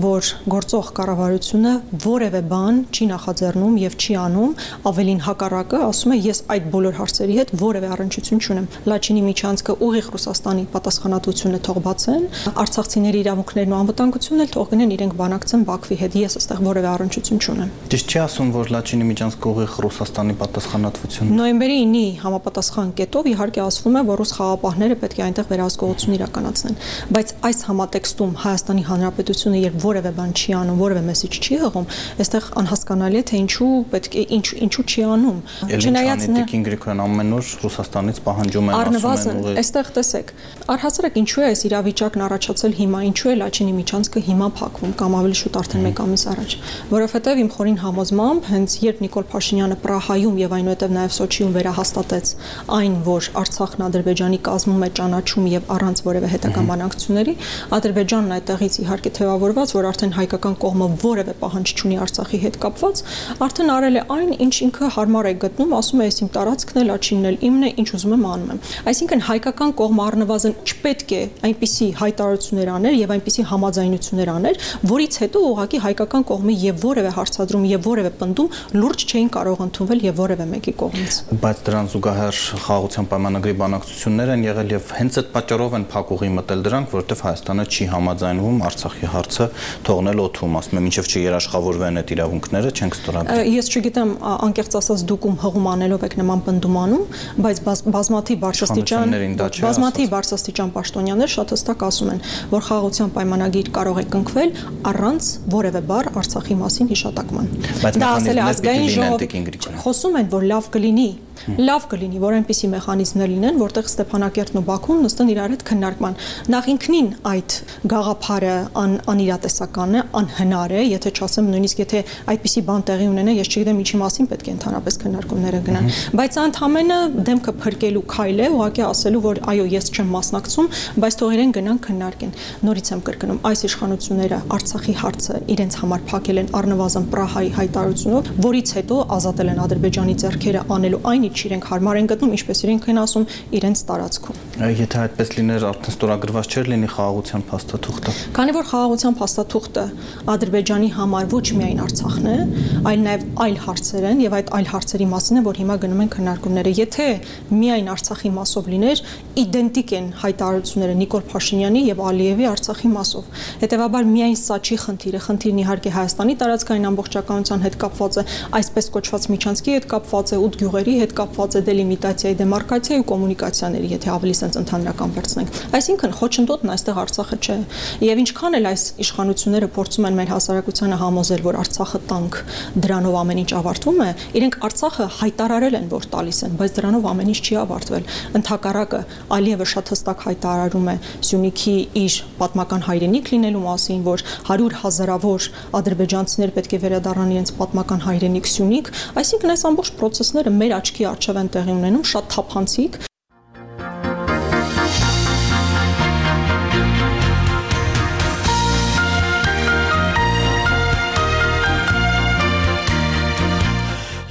որ գործող կառավարությունը որևէ բան չի նախաձեռնում եւ չի անում, ավելին հակառակը, ասում է, ես այդ բոլոր հարցերի հետ որևէ առնչություն չունեմ։ Լաչինի միջանցքը ուղիղ Ռուսաստանի պատասխանատվությունը թող բացեն, արցախցիների իրավունքներն ու անվտանգությունն էլ թող գնեն իրենք բանակցեն Բաքվի հետ, ես այստեղ որևէ առնչություն չունեմ։ Ճիշտ չի ասում, որ Լաչինի միջանցքը ուղիղ Ռուսաստանի պատասխանատվություն։ Նոյեմբերի 9-ի համապատասխան կետով իհարկե ասվում է, որ ռուս խաղապահները պետք է այնտեղ վերահսկողություն իրականացնեն, բայց այս համատեքստում Հայաստանի Հանրապետությունը երբ որևէ բան չի անում, որևէ մեսիջ չի հղում, այստեղ անհասկանալի է, թե ինչու պետք է ինչու չի անում։ Չնայած Տիկին Գրիգորյան ամեն օր Ռուսաստանից պահանջում են, ասում են, այստեղ տեսեք, առհասարակ ինչու է այս իրավիճակն առաջացել հիմա, ինչու է Լաչինի միջանցքը հիմա փակվում կամ ավելի շուտ արդեն 1 ամիս առաջ, որովհետև իմ խորին համոզմամբ հենց երբ Նիկոլ Փաշինյանը Պրահայում եւ այնուհետև նաեւ Սոչիում վերահաստատեց այն, որ Արցախն Ադրբեջանի կազմում է ճանաչում եւ առանց որևէ հետագա բանակցությունների, Ադրբեջանն այդտեղից իհարկե թեւավորված, որ արդեն հայկական կողմը որևէ պահանջ չունի Արցախի հետ կապված, արդեն արել է այն, ինչ ինքը հարմար է գտնում, ասում է, ես իմ տարածքն է, Լաչինն էլ իմն է, ինչ ուզում եմ անում եմ։ Այսինքն հայկական կողմը առնվազն չպետք է այնպիսի հայտարարություններ աներ եւ այնպիսի համաձայնություններ աներ, որից հետո ուղղակի հայկական կողմի եւ որևէ հարցադրում եւ որևէ պնդում լուրջ չէին կարող ընդունվել եւ որևէ մեկի կողմից։ Բայց դրան զուգահեռ խաղաղության պայմանագրի բանակցություններ են եղել եւ հենց այդ պատճառով են փակուղի մտել դրանք, որովհետեւ Հայաստանը չի համաձայնվում Արցախի հարցը թողնել օդում, ասում եմ, մինչեւ չերաշխավորվեն այդ իրավունքները, չենք ստորագրել։ Ես չգիտեմ, անկեղծ ասած դուք հղում անելով եք նման պնդում անում, բայց բազմաթիվ բարձրաստիճան պաշտոնյաներ շատ հստակ ասում են, որ խաղաղության պայմանագիր կարող է կնքվել առանց որևէ բառ Արցախի մասին հիշատակման։ Դա ասել է ազգային ժողովը, խոսում են, որ լավ կլինի, որ այնպիսի մեխանիզմներ լինեն, որտեղ Ստեփանակերտն ու Բաքուն նստեն իրար հետ քննարկման։ Նախ ինքնին այդ գաղափարը անիրատեսական է, անհնար է, եթե չասեմ նույնիսկ եթե այդպիսի բան տեղի ունենա, ես չգիտեմ ինչի մասին պետք է ընդհանրապես քննարկումները գնան։ Բայց ընդհանրապես դեմքը փրկելու քայլ է, ուղղակի ասելու, որ այո, ես չեմ մասնակցում, բայց թող իրեն գնան քննարկեն։ Նորից եմ կրկնում, այս իշխանությունները Արցախի հարցը իրենց համար փակել են առնվազն Պրահայի հայտարարությունով, որից հետո ազատել են Ադրբեջանի ձեռքերը անելու այն ինչ իրենք հարմար են գտնում, ինչպես իրենք են ասում, իրենց տարածքում։ Եթե այդպես լիներ, արդեն ստորագրված չէր լինի խաղաղության փաստաթուղթը։ Քանի որ խաղաղության փաստաթուղթը Ադրբեջանի համար ոչ միայն Արցախն է, այլ նաև այլ հարցեր են եւ այդ այլ հարցերի մասին է, որ հիմա գնում են քննարկումները։ Եթե միայն Արցախի մասով լիներ, իդենտիկ են հայտարարությունները Նիկոլ Փաշինյանի եւ Ալիևի Արցախի մասով։ Հետևաբար միայն սա չի խնդիրը, խնդիրն իհարկե Հայաստանի տարածքային ամբողջականության հետ կապված է, այսպես կոչված միջանցքի հետ կապված է, 8 գյուղերի հետ կապված է, դելիմիտացիայի, դեմարկացիայի ու կոմունիկացիաների, եթե ավելի sense ընդհանրական վերցնենք։ Այսինքն խոչընդոտն այստեղ Արցախը չէ։ Եվ ինչքան էլ այս իշխանությունները փորձում են մեր հասարակությանը համոզել, որ Արցախը տանկ, դրանով ամեն ինչ ավարտվում է, իրենք Արցախը հայտարարել են, որ տալիս են, բայց դրանով ամեն ինչ չի ավարտվել։ Ընդհակառակը Ալիևը շատ հստակ հայտարարում է Սյունիքի իր պատմական հայրենիք լինելու մասին, որ 100,000-ավոր ադրբեջանցիներ պետք է վերադառնան իրենց պատմական հայրենիք Սյունիք, այսինքն այս ամբողջ process-ները մեր աչքի առջև են տեղի ունենում, շատ թափանցիկ։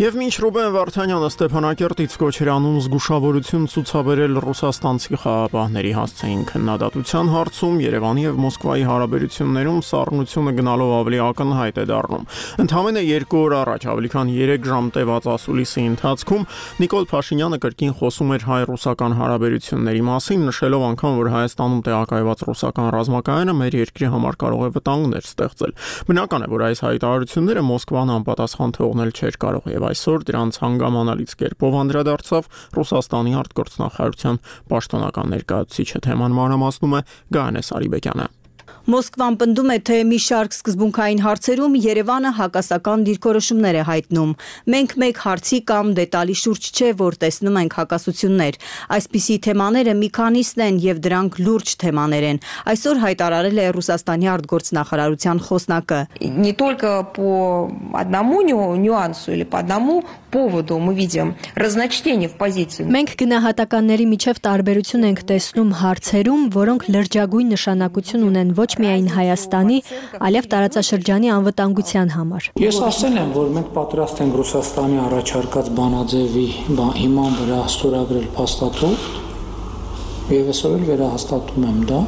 Եվ մինչ Ռուբեն Վարդանյանը Ստեփանակերտից կոչերանում զգուշավորություն ցուցաբերել ռուսաստանցի խաղապահների հասցեին քննադատության հարցում, Երևանի եւ Մոսկվայի հարաբերություններում սառնությունը գնալով ավելի ակնհայտ է դառնում։ Ընդամենը 2 օր առաջ, ավելի քան 3 ժամ տևած ասուլիսի ընթացքում Նիկոլ Փաշինյանը կրկին խոսում էր հայ-ռուսական հարաբերությունների մասին, նշելով անգամ, որ Հայաստանում տեղակայված ռուսական ռազմակայանը մեր երկրի համար կարող է վտանգներ ստեղծել։ Բնական է, որ այս հայտարարությունները Մոսկվան անպատասխան թողնել չէր կարող եւ այսօր դրանց հանգամանալից կերպով անդրադարձավ Ռուսաստանի արտգործնախարարության պաշտոնական ներկայացուցիչը, թեման մանրամասնում է Գայանե Սարիբեկյանը։ Մոսկվան պնդում է, թե մի շարք սկզբունքային հարցերում Երևանը հակասական դիրքորոշումներ է հայտնում։ Մենք մեկ հարցի կամ դետալի շուրջ չէ, որ տեսնում ենք հակասություններ։ Այսպիսի թեմաները մի քանիսն են եւ дրանք լուրջ թեմաներ են։ Այսօր հայտարարել է Ռուսաստանի արտգործնախարարության խոսնակը։ Не только по одному нюансу или по одному поводу мы видим разночтение в позиции. Մենք գնահատականների միջև տարբերություն ենք տեսնում հարցերում, որոնք լրջագույն նշանակություն ունեն ոչ միայն Հայաստանի, այլև տարածաշրջանի անվտանգության համար։ Ես ասել եմ, որ մենք պատրաստ ենք Ռուսաստանի առաջարկած բանաձևի հիման վրա ստորագրել փաստաթուղթ, եւ այսօր էլ վերահաստատում եմ դա։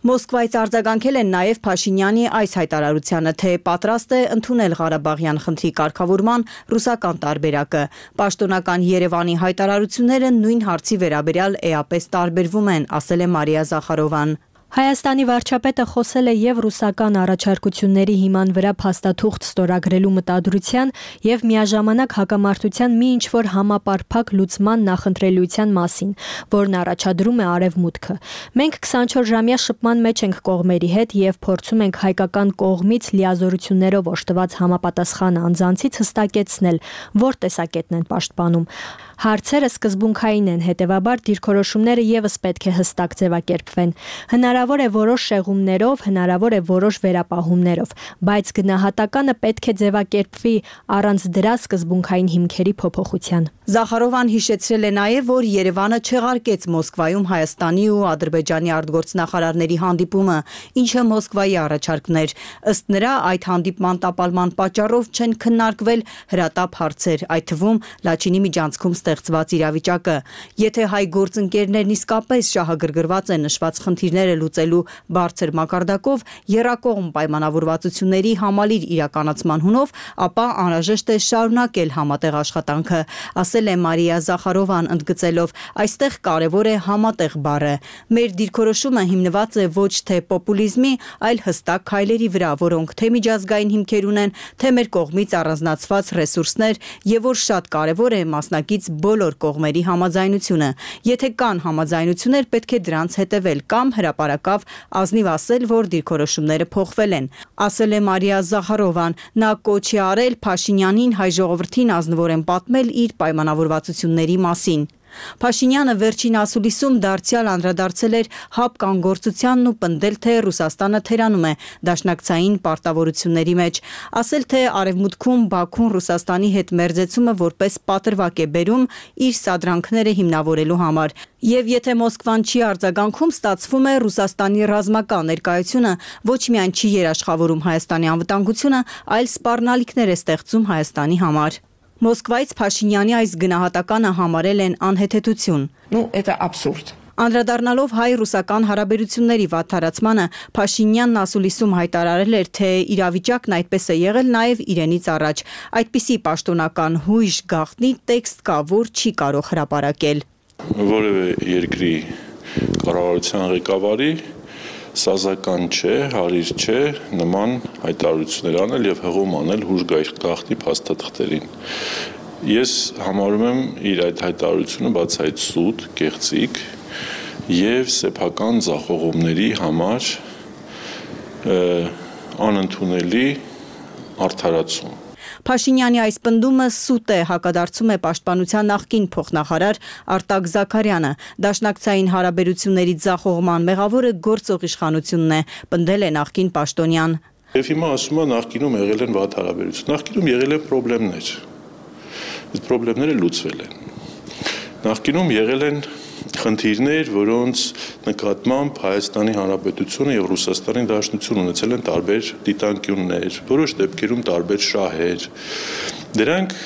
Մոսկվայից արձագանքել են նաև Փաշինյանի այս հայտարարությանը, թե պատրաստ է ընդունել Ղարաբաղյան խնդրի կարգավորման ռուսական տարբերակը։ Պաշտոնական Երևանի հայտարարությունները նույն հարցի վերաբերյալ էապես տարբերվում են, ասել է Մարիա Զախարովան։ Հայաստանի վարչապետը խոսել է եւ ռուսական առաջարկությունների հիման վրա փաստաթուղթ ստորագրելու մտադրության եւ միաժամանակ հակամարտության մի ինչ-որ համապարփակ լուծման նախընտրելիության մասին, որն առաջադրում է Արևմուտքը։ Մենք 24-ժամյա շփման մեջ ենք կողմերի հետ եւ փորձում ենք հայկական կողմից լիազորություններով օժտված համապատասխան անձանցից հստակեցնել, որ տեսակետն են պաշտպանում։ Հարցերը սկզբունքային են, հետևաբար դիրքորոշումները եւս պետք է հստակ ձևակերպվեն։ Հնարավոր է որոշ շեղումներով, հնարավոր է որոշ վերապահումներով, բայց գնահատականը պետք է ձևակերպվի առանց դրա սկզբունքային հիմքերի փոփոխության։ Զախարովան հիշեցրել է նաև, որ Երևանը չեղարկեց Մոսկվայում Հայաստանի ու Ադրբեջանի արտգործնախարարների հանդիպումը, ինչը Մոսկվայի առաջարկն էր։ Ըստ նրա, այդ հանդիպման տապալման պատճառով չեն քննարկվել հրատապ հարցեր, այդ թվում Լաչինի միջանցքում ստեղծված իրավիճակը։ Եթե հայ գործընկերներն իսկապես շահագրգռված են նշված խնդիրները լուծելու բարձր մակարդակով, եռակողմ պայմանավորվածությունների համալիր իրականացման հունով, ապա անհրաժեշտ է շարունակել համատեղ աշխատանքը, ասել է Մարիա Զախարովան, ընդգծելով, այստեղ կարևոր է համատեղ բառը։ Մեր դիրքորոշումը հիմնված է ոչ թե պոպուլիզմի, այլ հստակ քայլերի վրա, որոնք թե միջազգային հիմքեր ունեն, թե մեր կողմից առանձնացված ռեսուրսներ, եւ որ շատ կարևոր է մասնակից բոլոր կողմերի համաձայնությունը։ Եթե կան համաձայնություններ, պետք է դրանց հետևել կամ հրապարակավ ազնիվ ասել, որ դիրքորոշումները փոխվել են, ասել է Մարիա Զախարովան։ Նա կոչ է արել Փաշինյանին հայ ժողովրդին ազնվորեն պատմել իր պայմանավորվածությունների մասին։ Փաշինյանը վերջին ասուլիսում դարձյալ անդրադարձել էր հապկանգործությանն ու պնդել, թե Ռուսաստանը թերանում է դաշնակցային պարտավորությունների մեջ, ասել, թե Արևմուտքում Բաքուն Ռուսաստանի հետ մերձեցումը որպես պատրվակ է բերում իր սադրանքները հիմնավորելու համար։ Եվ եթե Մոսկվան չի արձագանքում, ստացվում է Ռուսաստանի ռազմական ներկայությունը ոչ միայն չի երաշխավորում Հայաստանի անվտանգությունը, այլ սպառնալիքներ է ստեղծում Հայաստանի համար։ Մոսկվայից Փաշինյանի այս գնահատականը համարել են անհեթեթություն։ Это абсурд։ Անդրադառնալով հայ-ռուսական հարաբերությունների վատթարացմանը, Փաշինյանն ասուլիսում հայտարարել էր, թե իրավիճակն այդպես է եղել նաև իրենից առաջ։ Այդպիսի պաշտոնական հույժ գաղտնի տեքստ կա, որ չի կարող հրապարակել։ Որևէ երկրի կառավարության ղեկավարի սազական չէ, հարիր չէ նման հայտարարություններ անել եւ հղում անել հուժ գաղտնի փաստաթղթերին։ Ես համարում եմ իր այդ հայտարարությունը բացահայտ սուտ, կեղծիք եւ սեփական ձախողումների համար անընդունելի արդարացում։ Փաշինյանի այս պնդումը սուտ է, հակադարձում է պաշտպանության նախկին փոխնախարար Արտակ Զաքարյանը։ Դաշնակցային հարաբերությունների ձախողման մեղավորը գործող իշխանությունն է, պնդել է նախկին պաշտոնյան։ Եվ հիմա ասում է նախկինում եղել են վատ հարաբերություններ, նախկինում եղել են խնդիրներ։ Այդ խնդիրները լուծվել են։ Նախկինում եղել են խնդիրներ, որոնց նկատմամբ Հայաստանի Հանրապետությունը եւ Ռուսաստանի Դաշնությունը ունեցել են տարբեր դիտանկյուններ, որոշ դեպքերում տարբեր շահեր։ Դրանք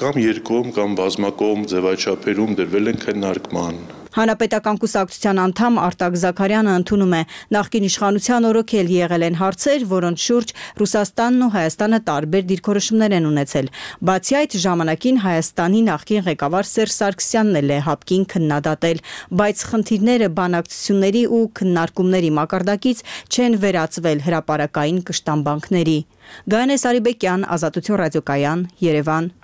կամ երկկողմ կամ բազմակողմ ձևաչափերում դրվել են քննարկման։ Հանրապետական կուսակցության անդամ Արտակ Զաքարյանը ընդունում է, նախկին իշխանության օրոքել եղել են հարցեր, որոնց շուրջ Ռուսաստանն ու Հայաստանը տարբեր դիրքորոշումներ են ունեցել։ Բացի այդ, ժամանակին Հայաստանի նախկին ղեկավար Սերժ Սարգսյանն էլ է հապկին քննադատել, բայց խնդիրները բանակցությունների ու քննարկումների մակարդակից չեն վերածվել հրապարակային կշտամբանքների։ Գայանե Սարիբեկյան, Ազատություն ռադիոկայան, Երևան։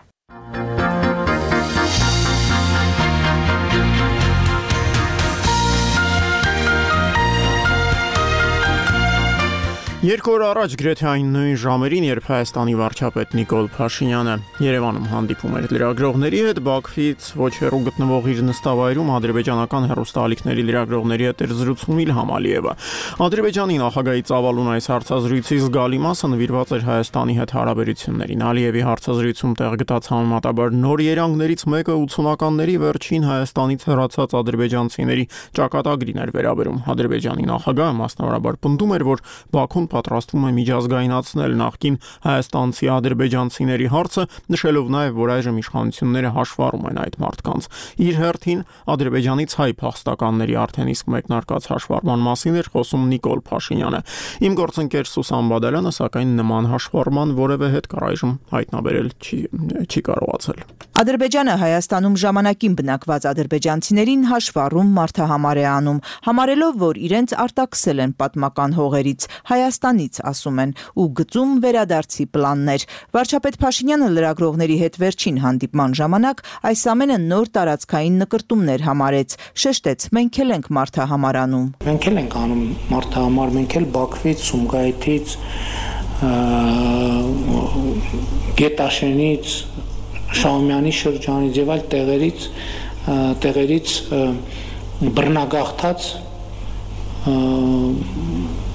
Երկու օր առաջ գրեթե այն նույն ժամերին, երբ Հայաստանի վարչապետ Նիկոլ Փաշինյանը Երևանում հանդիպում էր լրագրողների հետ, Բաքվից ոչ հեռու գտնվող իր նստավայրում ադրբեջանական հեռուստաալիքների լրագրողների հետ էր զրուցում Իլհամ Ալիևը։ Ադրբեջանի նախագահի ծավալուն այս հարցազրույցի զգալի մասը նվիրված էր Հայաստանի հետ հարաբերություններին։ Ալիևի հարցազրույցում տեղ գտած համեմատաբար նոր երանգներից մեկը 80-ականների վերջին Հայաստանից հեռացած ադրբեջանցիների ճակատագրին էր վերաբերում։ Ադրբեջանի նախագահը մասնավորաբար պնդում էր, որ Բաքուն պատրաստվում է միջազգայնացնել նախկին հայաստանցի ադրբեջանցիների հարցը, նշելով նաև, որ այժմ իշխանությունները հաշվառում են այդ մարդկանց։ Իր հերթին Ադրբեջանից հայ փախստականների արդեն իսկ մեկնարկած հաշվառման մասին էր խոսում Նիկոլ Փաշինյանը։ Իմ գործընկեր Սուսան Բադալյանը սակայն նման հաշվառման որևէ հետք առայժմ հայտնաբերել չի կարողացել։ Ադրբեջանը Հայաստանում ժամանակին բնակված ադրբեջանցիներին հաշվառում մարդահամար է անում, համարելով, որ իրենց արտաքսել են պատմական հողերից, Հայաստանից, ասում են, ու գծում վերադարձի պլաններ։ Վարչապետ Փաշինյանը լրագրողների հետ վերջին հանդիպման ժամանակ այս ամենը նոր տարածքային նկրտումներ համարեց, շեշտեց, մենք էլ ենք մարդահամար անում։ Մենք էլ ենք անում մարդահամար, մենք էլ Բաքվից, Սումգայիթից, Գետաշենից, Շահումյանի շրջանից եւ այլ տեղերից բռնագաղթած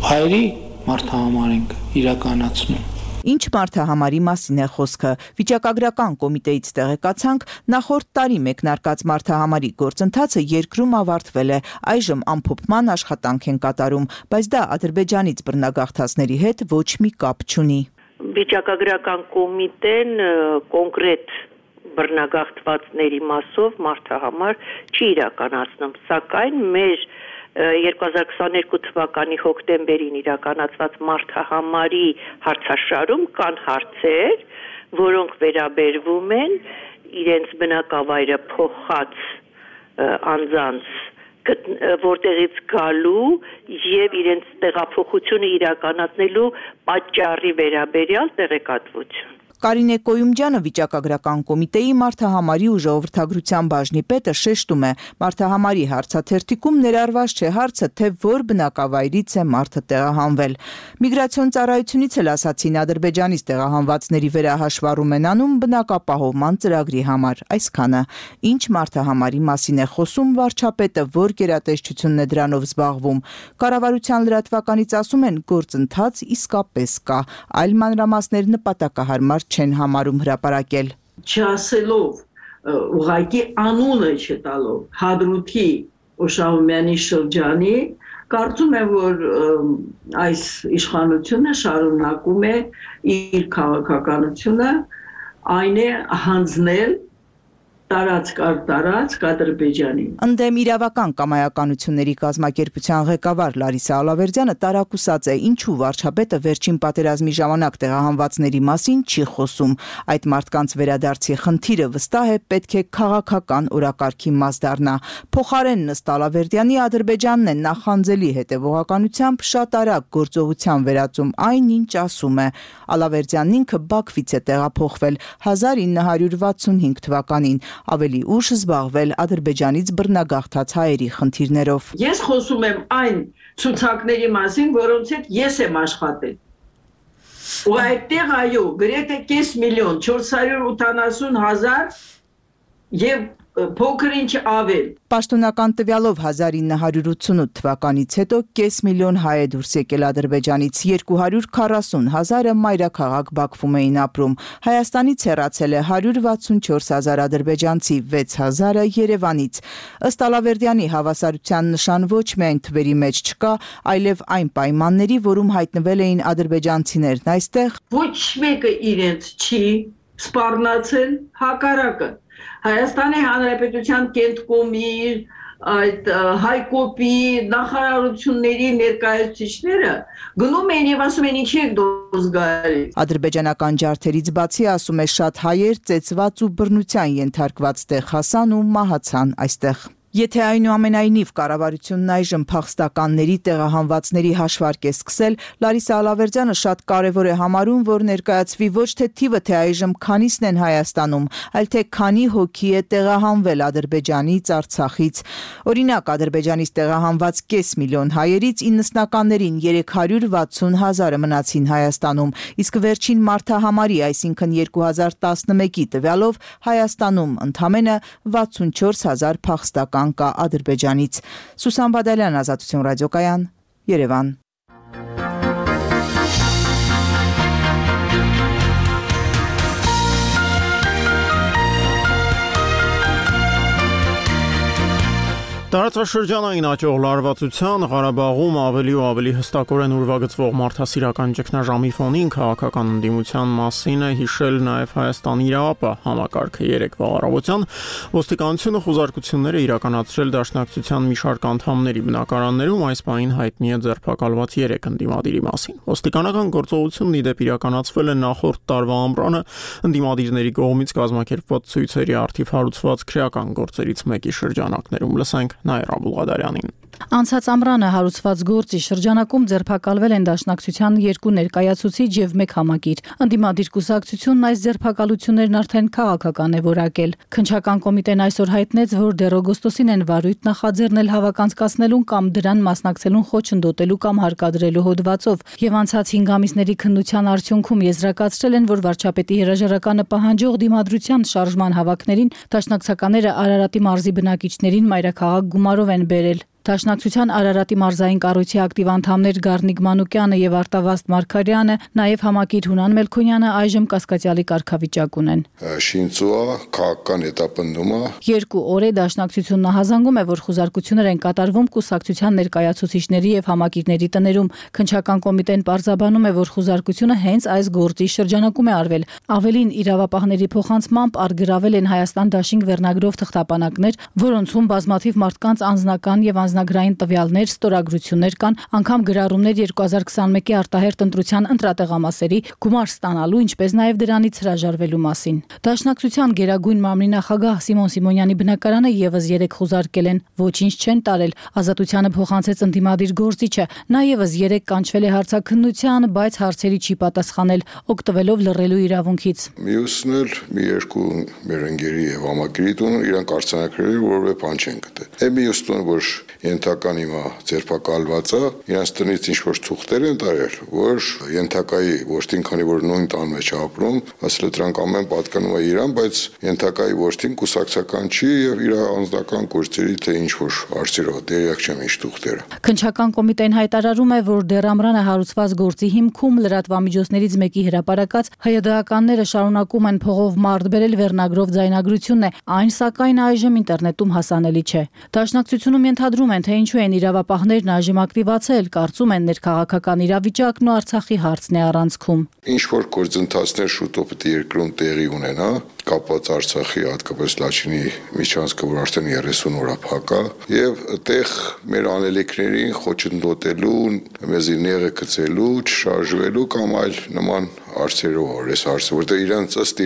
հայերի մարդահամար ենք իրականացնում։ Ինչ մարդահամարի մասին է խոսքը։ Վիճակագրական կոմիտեից տեղեկացանք, նախորդ տարի մեկնարկած մարդահամարի գործընթացը երկրում ավարտվել է, այժմ ամփոփման աշխատանք են կատարում, բայց դա Ադրբեջանից բռնագաղթածների հետ ոչ մի կապ չունի։ Վիճակագրական կոմիտեն կոնկրետ բռնագաղթվածների մասով մարդահամար չի իրականացնում, սակայն մեր 2022 թվականի հոկտեմբերին իրականացված մարդահամարի հարցաշարում կան հարցեր, որոնք վերաբերվում են իրենց բնակավայրը փոխած անձանց որտեղից գալու եւ իրենց տեղափոխությունը իրականացնելու պատճառի վերաբերյալ տեղեկատվություն։ Կարինե Կոյումջյանը վիճակագրական կոմիտեի մարդահամարի ու ժողովրդագրության բաժնի պետը շեշտում է, մարդահամարի հարցաթերթիկում ներառված չէ հարցը, թե որ բնակավայրից է մարդը տեղահանվել։ Միգրացիոն ծառայությունից էլ ասացին, Ադրբեջանից տեղահանվածների վերահաշվառում են անում բնակապահովման ծրագրի համար, այսքանը։ Ինչ մարդահամարի մասին է խոսում վարչապետը, որ գերատեսչությունն է դրանով զբաղվում։ Կառավարության լրատվականից ասում են, գործընթաց իսկապես կա, այլ մանրամասներ նպատակահարմար չեն համարում հրապարակել։ Չասելով, ուղղակի անունը չտալով Հադրութի Շահումյանի շրջանի, կարծում եմ, որ այս իշխանությունը շարունակում է իր քաղաքականությունը, այն է հանձնել տարածք Ադրբեջանին։ Ընդդեմ իրավական կամայականությունների կազմակերպության ղեկավար Լարիսա Ալավերդյանը տարակուսած է, ինչու վարչապետը վերջին պատերազմի ժամանակ տեղահանվածների մասին չի խոսում։ Այդ մարդկանց վերադարձի խնդիրը վստահ է պետք է քաղաքական օրակարգի մաս դառնա։ Փոխարենն ըստ Ալավերդյանի Ադրբեջանն է նախանձելի հետևողականությամբ շատ արագ գործողության վերածում այն, ինչ ասում է։ Ալավերդյանն ինքը Բաքվից է տեղափոխվել 1965 թվականին, ավելի ուշ զբաղվել Ադրբեջանից բռնագաղթած հայերի խնդիրներով։ Ես խոսում եմ այն ցուցակների մասին, որոնց հետ ես եմ աշխատել։ Ու այդտեղ այո, գրեթե 5.480.000 եւ փոքր ինչ ավել։ Պաշտոնական տվյալով 1988 թվականից հետո կես միլիոն հայ է դուրս եկել Ադրբեջանից, 240,000-ը մայրաքաղաք Բաքվում էին ապրում։ Հայաստանից հեռացել է 164,000 ադրբեջանցի, 6,000-ը Երևանից։ Ըստ Ալավերդյանի հավասարության նշան ոչ միայն թվերի մեջ չկա, այլև այն պայմանների, որում հայտնվել էին ադրբեջանցիներն այստեղ։ Ոչ մեկը իրենց չի սպառնացել, հակառակը։ Հայաստանի Հանրապետության Կենտկոմի, այդ Հայկոպի նախարարությունների ներկայացուցիչները գնում են եւ ասում են ինչի եք դուրս գալի։ Ադրբեջանական ջարդերից բացի, ասում է, շատ հայեր ծեծված ու բռնության ենթարկված տեղ հասան ու մահացան այստեղ։ Եթե այնուամենայնիվ կառավարությունն այժմ փախստականների տեղահանվածների հաշվարկ է սկսել, Լարիսա Ալավերդյանը շատ կարևոր է համարում, որ ներկայացվի ոչ թե թիվը, թե այժմ քանիսն են Հայաստանում, այլ թե քանի հոգի է տեղահանվել Ադրբեջանից, Արցախից։ Օրինակ, Ադրբեջանից տեղահանված կես միլիոն հայերից 90-ականներին 360,000-ը մնացին Հայաստանում, իսկ վերջին մարդահամարի, այսինքն 2011-ի տվյալով Հայաստանում ընդամենը 64,000 փախստական կա Ադրբեջանից։ Սուսան Բադալյան, Ազատություն ռադիոկայան, Երևան։ Տարածաշրջանային աճող լարվածության Ղարաբաղում ավելի ու ավելի հստակորեն ուրվագծվող մարդասիրական ճգնաժամի ֆոնին քաղաքական ընդդիմության մասին է հիշել նաև Հայաստանի իրավապահ համակարգը երեկվա առավոտյան ոստիկանությունը խոզարկություններ է իրականացրել Դաշնակցության մի շարք անդամների բնակարաններում, այս պահին հայտնի է ձերբակալված 3 ընդդիմադիրի մասին։ Ոստիկանական գործողությունն ի դեպ իրականացվել է նախորդ տարվա ամռանը ընդդիմադիրների կողմից կազմակերպված ցույցերի արդիվ հարուցված քրեական գործերից մեկի շրջանակներում։ Լսենք Նայր Աբուլղադարյանին։ Անցած ամռանը հարուցված գործի շրջանակում ձերբակալվել են Դաշնակցության 2 ներկայացուցիչ եւ 1 համակիր։ Ընդդիմադիր կուսակցությունն այս ձերբակալություններն արդեն քաղաքական է որակել։ Քննչական կոմիտեն այսօր հայտնեց, որ դեռ օգոստոսին են վարույթ նախաձեռնել հավաքանցկացնելուն կամ դրան մասնակցելուն խոչընդոտելու կամ հարկադրելու հոդվածով եւ անցած 5 ամիսների քննության արդյունքում եզրակացրել են, որ վարչապետի հրաժարականը պահանջող դիմադրության շարժման հավաքներին Դաշնակցականները Արարատի մարզի բնակիչներին մայրաքաղաք գումարով են բերել։ Դաշնակցության Արարատի մարզային կառույցի ակտիվ անդամներ Գառնիկ Մանուկյանը եւ Արտավազդ Մարգարյանը, նաեւ համակիր Հունան Մելքոնյանը այժմ կասկածյալի կարգավիճակ ունեն։ Շինծուա քաղաքական հետապնդումը 2 օր է Դաշնակցությունն հազանգում է, որ խոզարկություններ են կատարվում կուսակցության ներկայացուցիչների եւ համակիրների տներում։ Քննչական կոմիտեն պարզաբանում է, որ խոզարկությունը հենց այս գործի շրջանակում է արվել։ Ավելին, իրավապահների փոխանցմամբ արգրավել են Հայաստան դաշինք վերնագրով թղթապանակներ, որոնցում բազմաթիվ մարդկանց անձնական եւ անձնագրային տվյալներ, ստորագրություններ կան, անգամ գրառումներ 2021-ի արտահերթ ընտրության ընտրատեղամասերի գումար ստանալու, ինչպես նաև դրանից հրաժարվելու մասին։ Դաշնակցության Գերագույն մամլի նախագահ Սիմոն Սիմոնյանի բնակարանը եւս 3 խոզարկել են, ոչինչ չեն տարել։ Ազատությանը փոխանցեց ընդդիմադիր գործիչը, նա եւս 3 կանչվել է հարցաքննության, բայց հարցերի չի պատասխանել, օգտվելով լռելու իրավունքից։ Մյուսն էլ մի 2 մեր ընկերի եւ համակիրի տուն իրանք արձանագրել որևէ բան չեն գտել։ Մյուսն որ ենթական հիմա ձերբակալված է, իրանց տնից ինչ-որ թուղթեր են տարել, որ ենթակայի որդին, քանի որ նույն տան մեջ ապրում, ասել դրանք ամեն պատկանում է իրան, բայց ենթակայի որդին կուսակցական չի եւ իր անձնական գործերի թե ինչ-որ արծերով դերյակ չեմ ինչ թուղթերը։ Քննչական կոմիտեն հայտարարում է, որ դեռ ամռանը հարուցված գործի հիմքում լրատվամիջոցներից մեկի հրապարակած հայդականները շարունակում են փողով մարդ բերել վերնագրով ձայնագրությունն է, այն սակայն այժմ ինտերնետում հասանելի չէ։ Դաշնակցությունում ենթադրում են, թե ինչու են իրավապահներն այժմ ակտիվացել, կարծում են ներքաղաքական իրավիճակն ու Արցախի հարցն է առանցքում։ Ինչ որ գործընթացներ շուտով պետք է երկրում տեղի ունենա, կապված Արցախի, հատկապես Լաչինի միջանցքը, որ արդեն 30 օր փակա, եւ այդտեղ մեր անելիքներին խոչընդոտելու, մեզի նեղը գցելու, չշարժվելու կամ այլ նման արծերով, այս հարցը, որտեղ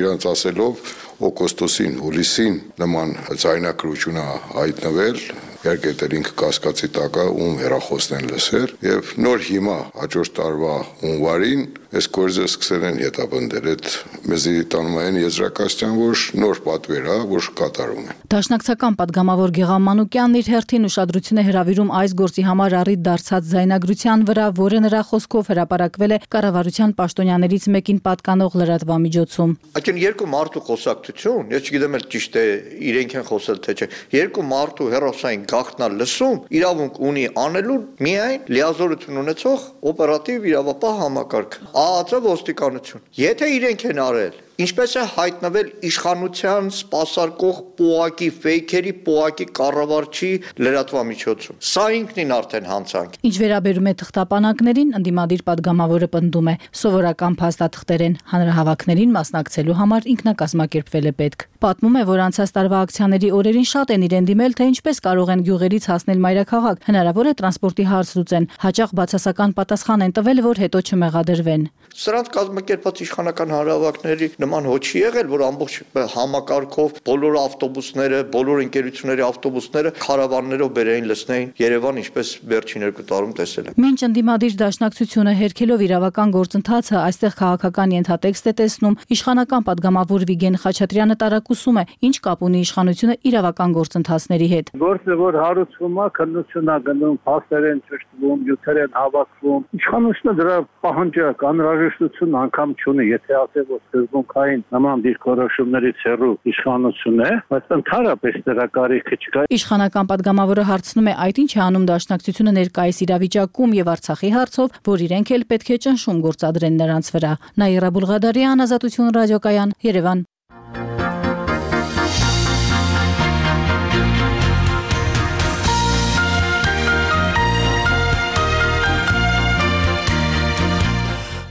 իրանց ասելով օգոստոսին, հուլիսին նման ձայնագրություն հայտնվել, իհարկե դա ինքը կասկածի տակ է, ում հեռախոսն են լսել, եւ նոր հիմա հաջորդ տարվա հունվարին այս գործը սկսել են հետապնդել, այդ մեզի տանում են եզրակացության, որ նոր պատվեր է, որ կատարում են։ Դաշնակցական падգամավոր Գեղամ Մանուկյանն իր հերթին ուշադրություն է հրավիրում այս գործի համար առիթ դարձած ձայնագրության վրա, որը նրա խոսքով հրապարակվել է կառավարության պաշտոնյաներից մեկին պատկանող լրատվամիջոցում։ Այդ երկու մարդու խոսակցություն, ես չգիտեմ էլ ճիշտ է իրենք են խոսել թե չէ, երկու մարդու հերոսային գաղտնալ լսում իրավունք ունի անելու միայն լիազորություն ունեցող օպերատիվ իրավապահ համակարգ, ԱԱԾ ոստիկանություն։ Եթե իրենք են արել, ինչպես է հայտնվել իշխանության սպասարկող պոակի ֆեյքերի պոակի կառավարչի լրատվամիջոցում։ Սա ինքնին արդեն հանցանք։ Ինչ վերաբերում է թղթապանակներին, ընդդիմադիր падգամավորը պնդում է, սովորական փաստաթղթեր են, հանրահավաքներին մասնակցելու համար ինքնակազմակերպվել է պետք։ Պատմում է, որ անցած տարվա ակցիաների օրերին շատ են իրեն դիմել, թե ինչպես կարող են գյուղերից հասնել մայրաքաղաք, հնարավոր է տրանսպորտի հարց լուծեն, հաճախ բացասական պատասխան են տվել, որ հետո չմեղադրվեն։ Սրանց կազմակերպած իշխանական հանրահավաքների նման հոչ չի եղել, որ ամբողջ համակարգով բոլոր ավտոբուսները, բոլոր ընկերությունների ավտոբուսները քարավաններով բերեին լցնեին Երևան, ինչպես վերջին 2 տարում տեսել ենք։ Մինչ ընդդիմադիր դաշնակցությունը հերքելով իրավական գործընթացը այստեղ քաղաքական ենթատեքստ է տեսնում, իշխանական падգամավոր Վիգեն Խաչատրյանը տարակուսում է, ինչ կապ ունի իշխանությունը իրավական գործընթացների հետ։ Գործը որ հարուցվում է, քննությունն է գնում, փաստեր են ճշտվում, յութեր են հավաքվում։ Իշխանությունը դրա պահանջակ անհրաժեշտություն անգամ չունի, եթե ասել որ սկզբունքային նման դիրքորոշումներից հեռու իշխանություն է, բայց ընդհանրապես դրա կարիքը չկա։ Իշխանական падգամավորը հարցնում է, այդ ինչ է անում դաշնակցությունը ներկայիս իրավիճակում եւ Արցախի հարցով, որ իրենք էլ պետք է ճնշում գործադրեն նրանց վրա։ Նաիրա Բուլղադարյան, Ազատություն ռադիոկայան, Երևան։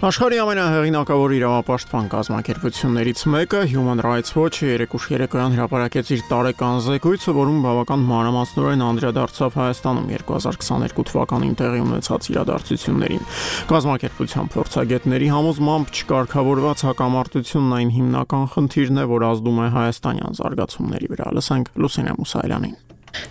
Աշխարհի ամենահեղինակավոր իրավապաշտպան կազմակերպություններից մեկը Human Rights Watch-ը երեկոյան հրապարակեց իր տարեկան զեկույցը, որում բավական մանրամասնորեն անդրադարձավ Հայաստանում 2022 թվականին տեղի ունեցած իրադարձություններին։ Կազմակերպության փորձագետների համոզմամբ չկարգավորված հակամարտությունն այն հիմնական խնդիրն է, որ ազդում է հայաստանյան զարգացումների վրա։ Լսենք Լուսինե Մուսայելյանին։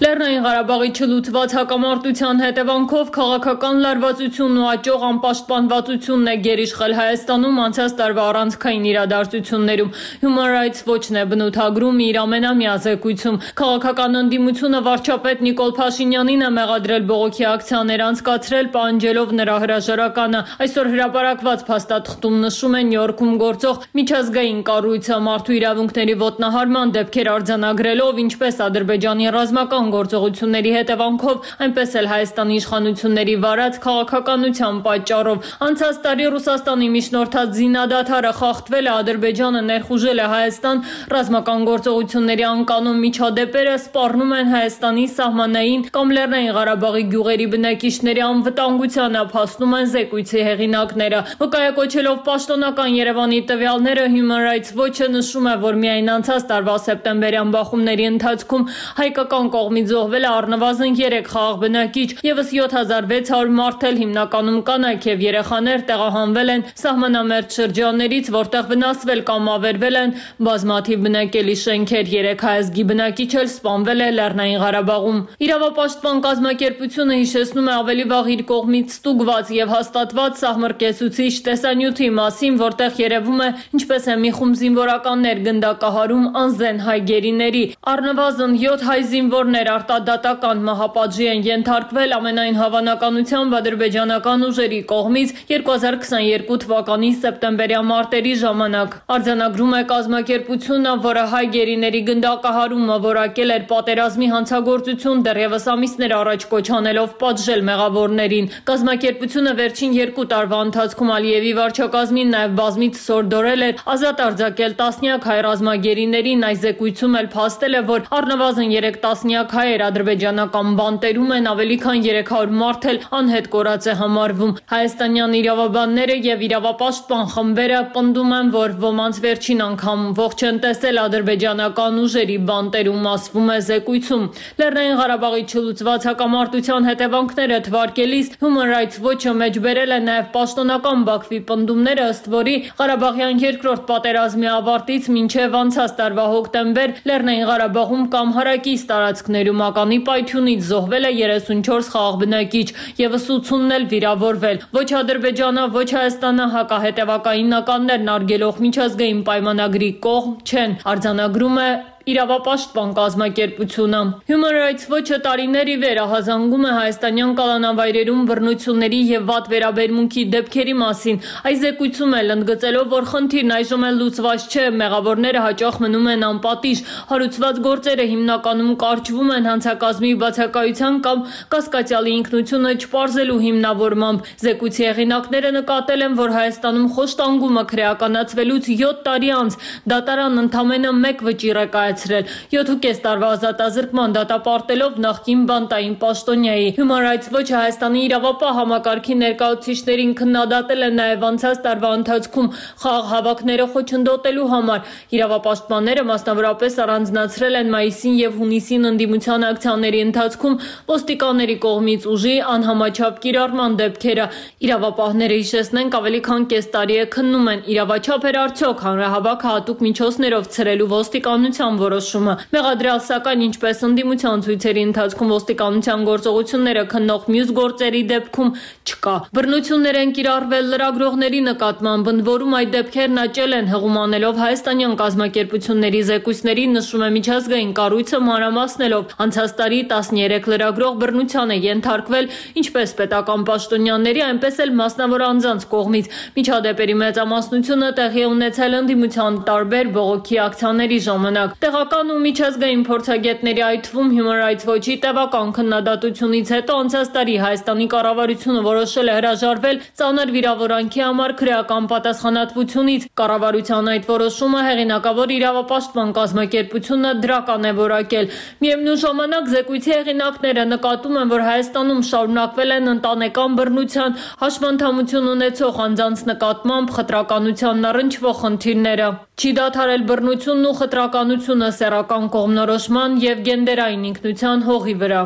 Լեռնային Ղարաբաղի չլուծված հակամարտության հետևանքով քաղաքական լարվածությունն ու աճող անպաշտպանվածությունն է գերիշխել Հայաստանում անցած տարվա առանցքային իրադարձություններում։ Human Rights Watch-ն է բնութագրում իր ամենամյա զեկույցում։ Քաղաքական ընդդիմությունը վարչապետ Նիկոլ Փաշինյանին է մեղադրել բողոքի ակցիաներ անցկացրել, պահանջելով նրա հրաժարականը։ Այսօր հրապարակված փաստաթղթում նշում է Նյու Յորքում գործող միջազգային կառույցը մարդու իրավունքների ոտնահարման դեպքեր արձանագրելով, ինչպես Ադրբեջանի ռազմական գործողությունների հետևանքով, այնպես էլ Հայաստանի իշխանությունների վարած քաղաքականության պատճառով։ Անցած տարի Ռուսաստանի միջնորդած զինադադարը խախտվել է, Ադրբեջանը ներխուժել է Հայաստան, ռազմական գործողությունների անկանոն միջադեպերը սպառնում են Հայաստանի սահմանային կամ Լեռնային Ղարաբաղի գյուղերի բնակիչների անվտանգությանը, փաստում են զեկույցի հեղինակները։ Վկայակոչելով պաշտոնական Երևանի տվյալները, Human Rights Watch-ը նշում է, որ միայն անցած տարվա սեպտեմբերյան բախումների ընթացքում հայկական կողմից զոհվել է առնվազն 3 խաղաղ բնակիչ, եւս 7600 մարդ էլ հիմնականում կանայք եւ երեխաներ տեղահանվել են սահմանամերձ շրջաններից, որտեղ վնասվել կամ ավերվել են բազմաթիվ բնակելի շենքեր, 3 հայազգի բնակիչ էլ սպանվել է Լեռնային Ղարաբաղում։ Իրավապաշտպան կազմակերպությունը հիշեցնում է ավելի վաղ իր կողմից ստուգված եւ հաստատված սահմռկեցուցիչ տեսանյութի մասին, որտեղ երևում է ինչպես է մի խումբ զինվորականներ գնդակահարում անզեն հայ գերիների։ Առնվազն 7 հայ զինվորներ արտադատական մահապատժի են ենթարկվել ամենայն հավանականությամբ ադրբեջանական ուժերի կողմից 2022 թվականի սեպտեմբերյան մարտերի ժամանակ։ Արձանագրում է կազմակերպությունը, որը հայ գերիների գնդակահարումը որակել էր պատերազմի հանցագործություն, դեռևս ամիսներ առաջ կոչ անելով պատժել մեղավորներին։ Կազմակերպությունը վերջին 2 տարվա ընթացքում Ալիևի վարչակազմին նաև բազմիցս հորդորել էր ազատ արձակել տասնյակ հայ ռազմագերիներին, այս զեկույցում էլ փաստել է, որ առնվազն 3 տասնյակ հայեր ադրբեջանական բանտերում են, ավելի քան 300 մարդ էլ անհետ կորած է համարվում։ Հայաստանյան իրավաբանները եւ իրավապաշտպան խմբերը պնդում են, որ ոմանց վերջին անգամ ողջ են տեսել ադրբեջանական ուժերի բանտերում, ասվում է զեկույցում։ Լեռնային Ղարաբաղի չլուծված հակամարտության հետևանքները թվարկելիս Human Rights Watch-ը մեջբերել է նաև պաշտոնական Բաքվի պնդումները, ըստ որի Ղարաբաղյան երկրորդ պատերազմի ավարտից մինչև անցած տարվա հոկտեմբեր Լեռնային Ղարաբաղում կամ հարակից տարածքներում ականի պայթյունից զոհվել է 34 խաղաղ բնակիչ, եւս 80-ն էլ վիրավորվել։ Ոչ Ադրբեջանը, ոչ Հայաստանը հակահետևակայինականներն արգելող միջազգային պայմանագրի կողմ չեն, արձանագրում է իրավապաշտպան կազմակերպությունը։ Human Rights Watch-ը տարիներ ի վեր ահազանգում է հայաստանյան կալանավայրերում բռնությունների եւ վատ վերաբերմունքի դեպքերի մասին։ Այս զեկույցում էլ ընդգծելով, որ խնդիրն այժմ էլ լուծված չէ, մեղավորները հաճախ մնում են անպատիժ, հարուցված գործերը հիմնականում կարճվում են հանցակազմի բացակայության կամ կասկածյալի ինքնությունը չպարզելու հիմնավորմամբ։ Զեկույցի հեղինակները նկատել են, որ Հայաստանում խոշտանգումը քրեականացվելուց 7 տարի անց դատարանն ընդամենը 1 վճիռ է կայացրել կայացրել։ 7.5 տարվա ազատազրկման դատապարտելով նախկին բանտային պաշտոնյայի։ Human Rights Watch-ը Հայաստանի իրավապահ համակարգի ներկայացուցիչներին քննադատել է նաև անցած տարվա ընթացքում խաղ հավաքները խոչընդոտելու համար։ Իրավապաշտպանները մասնավորապես առանձնացրել են մայիսին եւ հունիսին ընդդիմության ակցիաների ընթացքում ոստիկանների կողմից ուժի անհամաչափ կիրառման դեպքերը։ Իրավապահները, հիշեցնենք, ավելի քան կես տարի է քննում են իրավաչափ էր արդյոք հանրահավաքը հատուկ միջոցներով ցրելու ոստիկանության որոշումը։ Մեղադրյալ, սակայն, ինչպես ընդդիմության ցույցերի ընթացքում ոստիկանության գործողությունները քննող մյուս գործերի դեպքում չկա։ Բռնություններ են կիրառվել լրագրողների նկատմամբ, ընդ որում այդ դեպքերն աճել են հղումանելով հայաստանյան կազմակերպությունների զեկույցների, նշում է միջազգային կառույցը մանրամասնելով։ Անցած տարի 13 լրագրող բռնության է ենթարկվել ինչպես պետական պաշտոնյաների, այնպես էլ մասնավոր անձանց կողմից։ Միջադեպերի մեծամասնությունը տեղի է ունեցել ընդդիմության տարբեր բողոքի ակցիաների ժամանակ։ Տեղական ու միջազգային փորձագետների, այդ թվում Human Rights Watch-ի տևական քննադատությունից հետո անցած տարի Հայաստանի կառավարությունը որոշել է հրաժարվել ծանր վիրավորանքի համար քրեական պատասխանատվությունից։ Կառավարության այդ որոշումը հեղինակավոր իրավապաշտպան կազմակերպությունը դրական է որակել։ Միևնույն ժամանակ զեկույցի հեղինակները նկատում են, որ Հայաստանում շարունակվել են ընտանեկան բռնության, հաշմանդամություն ունեցող անձանց նկատմամբ խտրականությանն առնչվող խնդիրները։ Չի դադարել բռնությունն ու խտրականությունը սեռական կողմնորոշման եւ գենդերային ինքնության հողի վրա։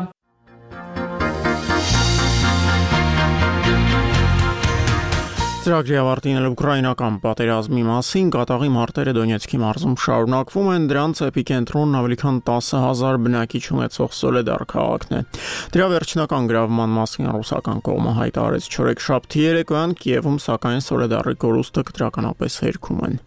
Ծրագրի ավարտին ուկրաինական պատերազմի մասին կատաղի մարտերը Դոնեցկի մարզում շարունակվում են, դրանց էպիկենտրոնն ավելի քան 10,000 բնակիչ ունեցող Սոլեդար քաղաքն է։ Դրա վերջնական գրավման մասին ռուսական կողմը հայտարարեց չորեքշաբթի երեկոյան Կիևում, սակայն Սոլեդարի կորուստը կտրականապես հերքում են։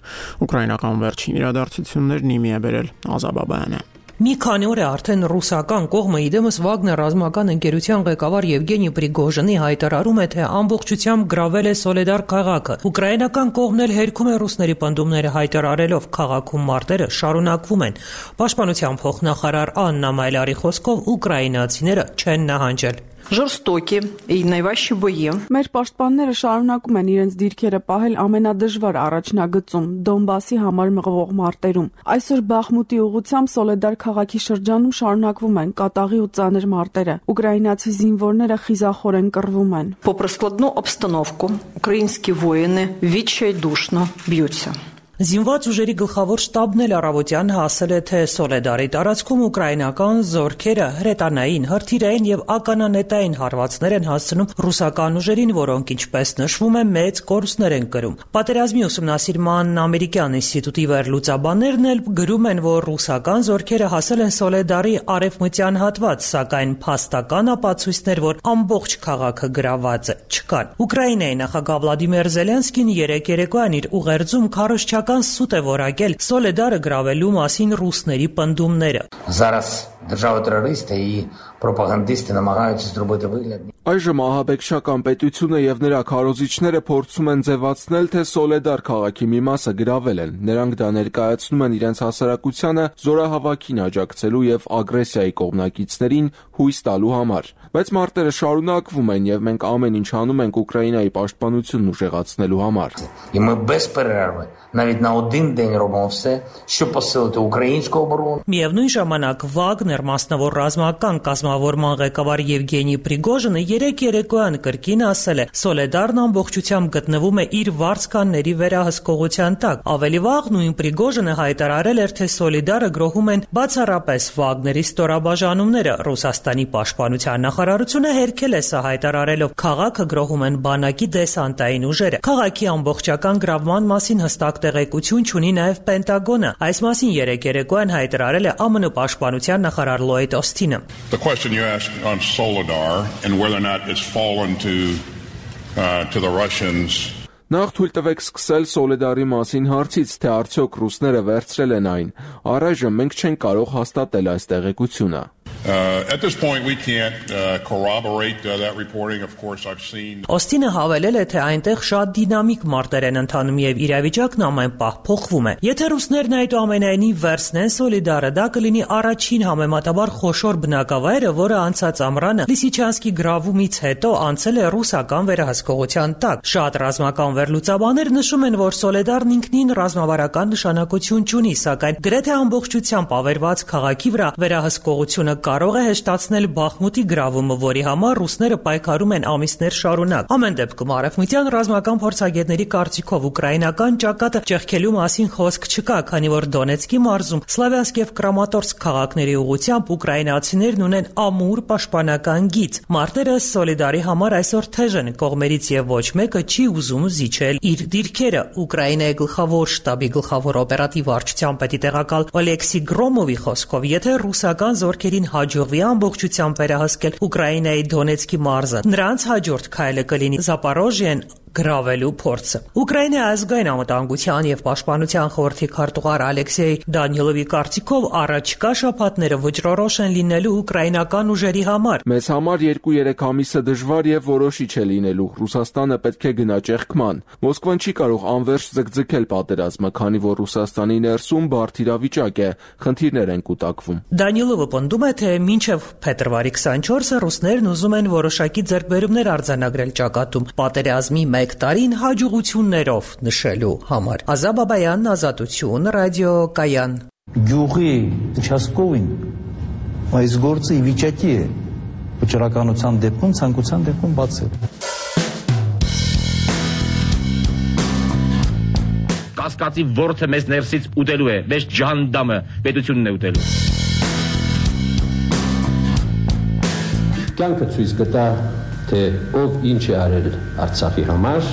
Ուկրաինական վերջին իրադարձություններն իմի է բերել Ազաբաբայանը։ Մի քանի օր է արդեն ռուսական կողմը իդեմս Վագներ ռազմական ընկերության ղեկավար Եվգենի Պրիգոժինի հայտարարում է, թե ամբողջությամբ գրավել է Սոլեդար քաղաքը։ Ուկրաինական կողմն էլ հերքում է ռուսների պնդումները հայտարարելով, քաղաքում մարտերը շարունակվում են։ Պաշտպանության փոխնախարար Աննա Մայլարի խոսքով ուկրաինացիները չեն նահանջել։ Ժորստոկի и наиващие бои. Մեր պաշտպանները շարունակում են իրենց դիրքերը պահել ամենադժվար առաջնագծում Դոնբասի համար մղվող մարտերում։ Այսօր Բախմուտի ուղությամբ Սոլեդար քաղաքի շրջանում շարունակվում են կատաղի ու ծանր մարտերը։ Ուկրաինացի զինվորները խիզախորեն կռվում են։ Попри складну обстановку, українські воїни відчайдушно б'ються. Զինված ուժերի գլխավոր շտաբն էլ առավոտյան հասել է, թե Սոլեդարի տարածքում ուկրաինական զորքերը հրետանային, հրթիռային եւ ականանետային հարվածներ են հասցնում ռուսական ուժերին, որոնք, ինչպես նշվում է, մեծ կորուստներ են կրում։ Պատերազմի ուսումնասիրման ամերիկյան ինստիտուտի վերլուծաբաններն էլ գրում են, որ ռուսական զորքերը հասել են Սոլեդարի արևմտյան հատված, սակայն փաստական ապացույցներ, որ ամբողջ քաղաքը գրաված է, չկան։ Ուկրաինայի նախագահ Վլադիմիր Զելենսկին երեկոյան իր ուղերձում քարոզչական սուտ է որակել Սոլեդարը գրավելու մասին ռուսների պնդումները։ Зараз держава-терористи і пропагандисти намагаються зробити вигляд. Այժմ ահաբեկչական պետությունը եւ նրա քարոզիչները փորձում են ձևացնել, թե Սոլեդար քաղաքի մի մասը գրավել են։ Նրանք դա ներկայացնում են իրենց հասարակությանը զորահավաքին աջակցելու եւ ագրեսիայի կողմնակիցներին հույս տալու համար։ Բայց մարտերը շարունակվում են եւ մենք ամեն ինչ անում ենք Ուկրաինայի պաշտպանությունն ուժեղացնելու համար։ І ми без перерви навіть на один день робимо все, щоб посилити українську оборону. Միևնույն ժամանակ Վագներ մասնավոր ռազմական կազմավորման ղեկավար Եվգենի Պրիգոժինը երեկոյան կրկին ասել է, Սոլեդարն ամբողջությամբ գտնվում է իր վարձկանների վերահսկողության տակ։ Ավելի վաղ նույն Պրիգոժինը հայտարարել էր, թե Սոլեդարը գրոհում են բացառապես Վագների ստորաբաժանումները։ Ռուսաստանի պաշտպանության նախարարությունը հերքել է սա հայտարարելով, քաղաքը գրոհում են բանակի դեսանտային ուժերը։ Քաղաքի ամբողջական գրավման մասին հստակ տեղեկություն չունի նաև Պենտագոնը։ Այս մասին երեկոյան հայտարարել է ԱՄՆ պաշտպանության նախարար Լոյդ Օսթինը։ The question you asked on Soledar and whether or not it's fallen to the Russians. Նախ թույլ տվեք սկսել Սոլեդարի մասին հարցից, թե արդյոք ռուսները վերցրել են այն։ Առայժմ մենք չենք կարող հաստատել այս տեղեկությունը։ At this point, we can't corroborate that reporting. Of course, I've seen. Օստինը հավելել է, թե այնտեղ շատ դինամիկ մարտեր են ընթանում եւ իրավիճակն ամեն պահ փոխվում է։ Եթե ռուսներն այդուամենայնիվ վերցնեն Սոլիդարը, դա կլինի առաջին համեմատաբար խոշոր բնակավայրը, որը անցած ամռանը Լիսիչանսկի գրավումից հետո անցել է ռուսական վերահսկողության տակ։ Շատ ռազմական վերլուծաբաններ նշում են, որ Սոլեդարն ինքնին ռազմավարական նշանակություն չունի, սակայն գրեթե ամբողջությամբ ավերված քաղաքի վրա վերահսկողությունը կարող է հեշտացնել Բախմուտի գրավումը, որի համար ռուսները պայքարում են ամիսներ շարունակ։ Ամեն դեպքում արևմտյան ռազմական փորձագետների կարծիքով ուկրաինական ճակատը ճեղքելու մասին խոսք չկա, քանի որ Դոնեցկի մարզում Սլավյանսկ եւ Կրամատորսկ քաղաքների ուղղությամբ ուկրաինացիներն ունեն ամուր պաշտպանական գիծ։ Մարտերը Սոլիդարի համար այսօր թեժ են, կողմերից եւ ոչ մեկը չի ուզում զիջել իր դիրքերը։ Ուկրաինայի գլխավոր շտաբի գլխավոր օպերատիվ վարչության պետի տեղակալ Օլեքսի Գրոմովի խոսքով, եթե ռուսական զորքերին հաջողվի ամբողջությամբ վերահսկել Ուկրաինայի Դոնեցկի մարզը, նրանց հաջորդ քայլը կլինի Զապորոժիեն գրավելու փորձը։ Ուկրաինայի ազգային անվտանգության եւ պաշտպանության խորհրդի քարտուղար Ալեքսեյ Դանիլովի կարծիքով առաջիկա շաբաթները վճռորոշ են լինելու ուկրաինական ուժերի համար։ Մեզ համար 2-3 ամիսը դժվար եւ որոշիչ է լինելու։ Ռուսաստանը պետք է գնա ճեղքման։ Մոսկվան չի կարող անվերջ ձգձգել պատերազմը, քանի որ Ռուսաստանի ներսում բարդ իրավիճակ է, խնդիրներ են կուտակվում։ Դանիլովը պնդում է, թե մինչև փետրվարի 24-ը ռուսներն ուզում են որոշակի ձեռքբերումներ արձանագրել ճակատում պատերազմի 1 տարին հաջողություններով նշելու համար։ Ազատ Բաբայան, Ազատություն, ռադիո Կայան։ Գյուղի участковին այս գործը ի վիճակի է վճռականության դեպքում, ցանկության դեպքում բացել։ Կասկածի ворթը մեզ ներսից ուտելու է, մեզ ջանդամը պետությունն է ուտելու։ Կյանքը ցույց կտա, թե ով ինչ է արել Արցախի համար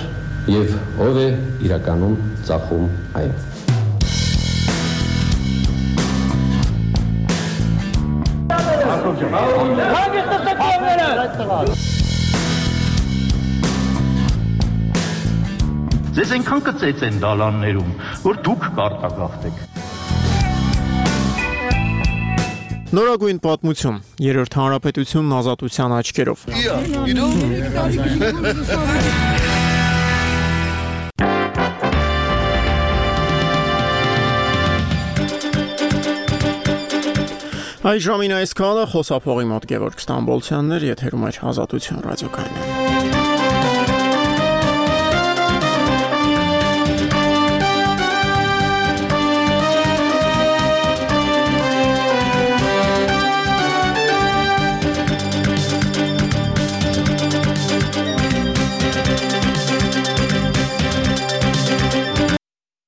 եւ ով է իրականում ծախում այն։ Ձեզ այնքան կծեց են դալաններում, որ դուք կարտագաղթեք։ Նորագույն պատմություն, Երրորդ հանրապետությունն ազատության աչքերով։ Այս ժամին այսքանը խոսափողի մոտ Գևորգ Ստամբոլցյանն էր, եթերում էր Ազատություն ռադիոկայանը։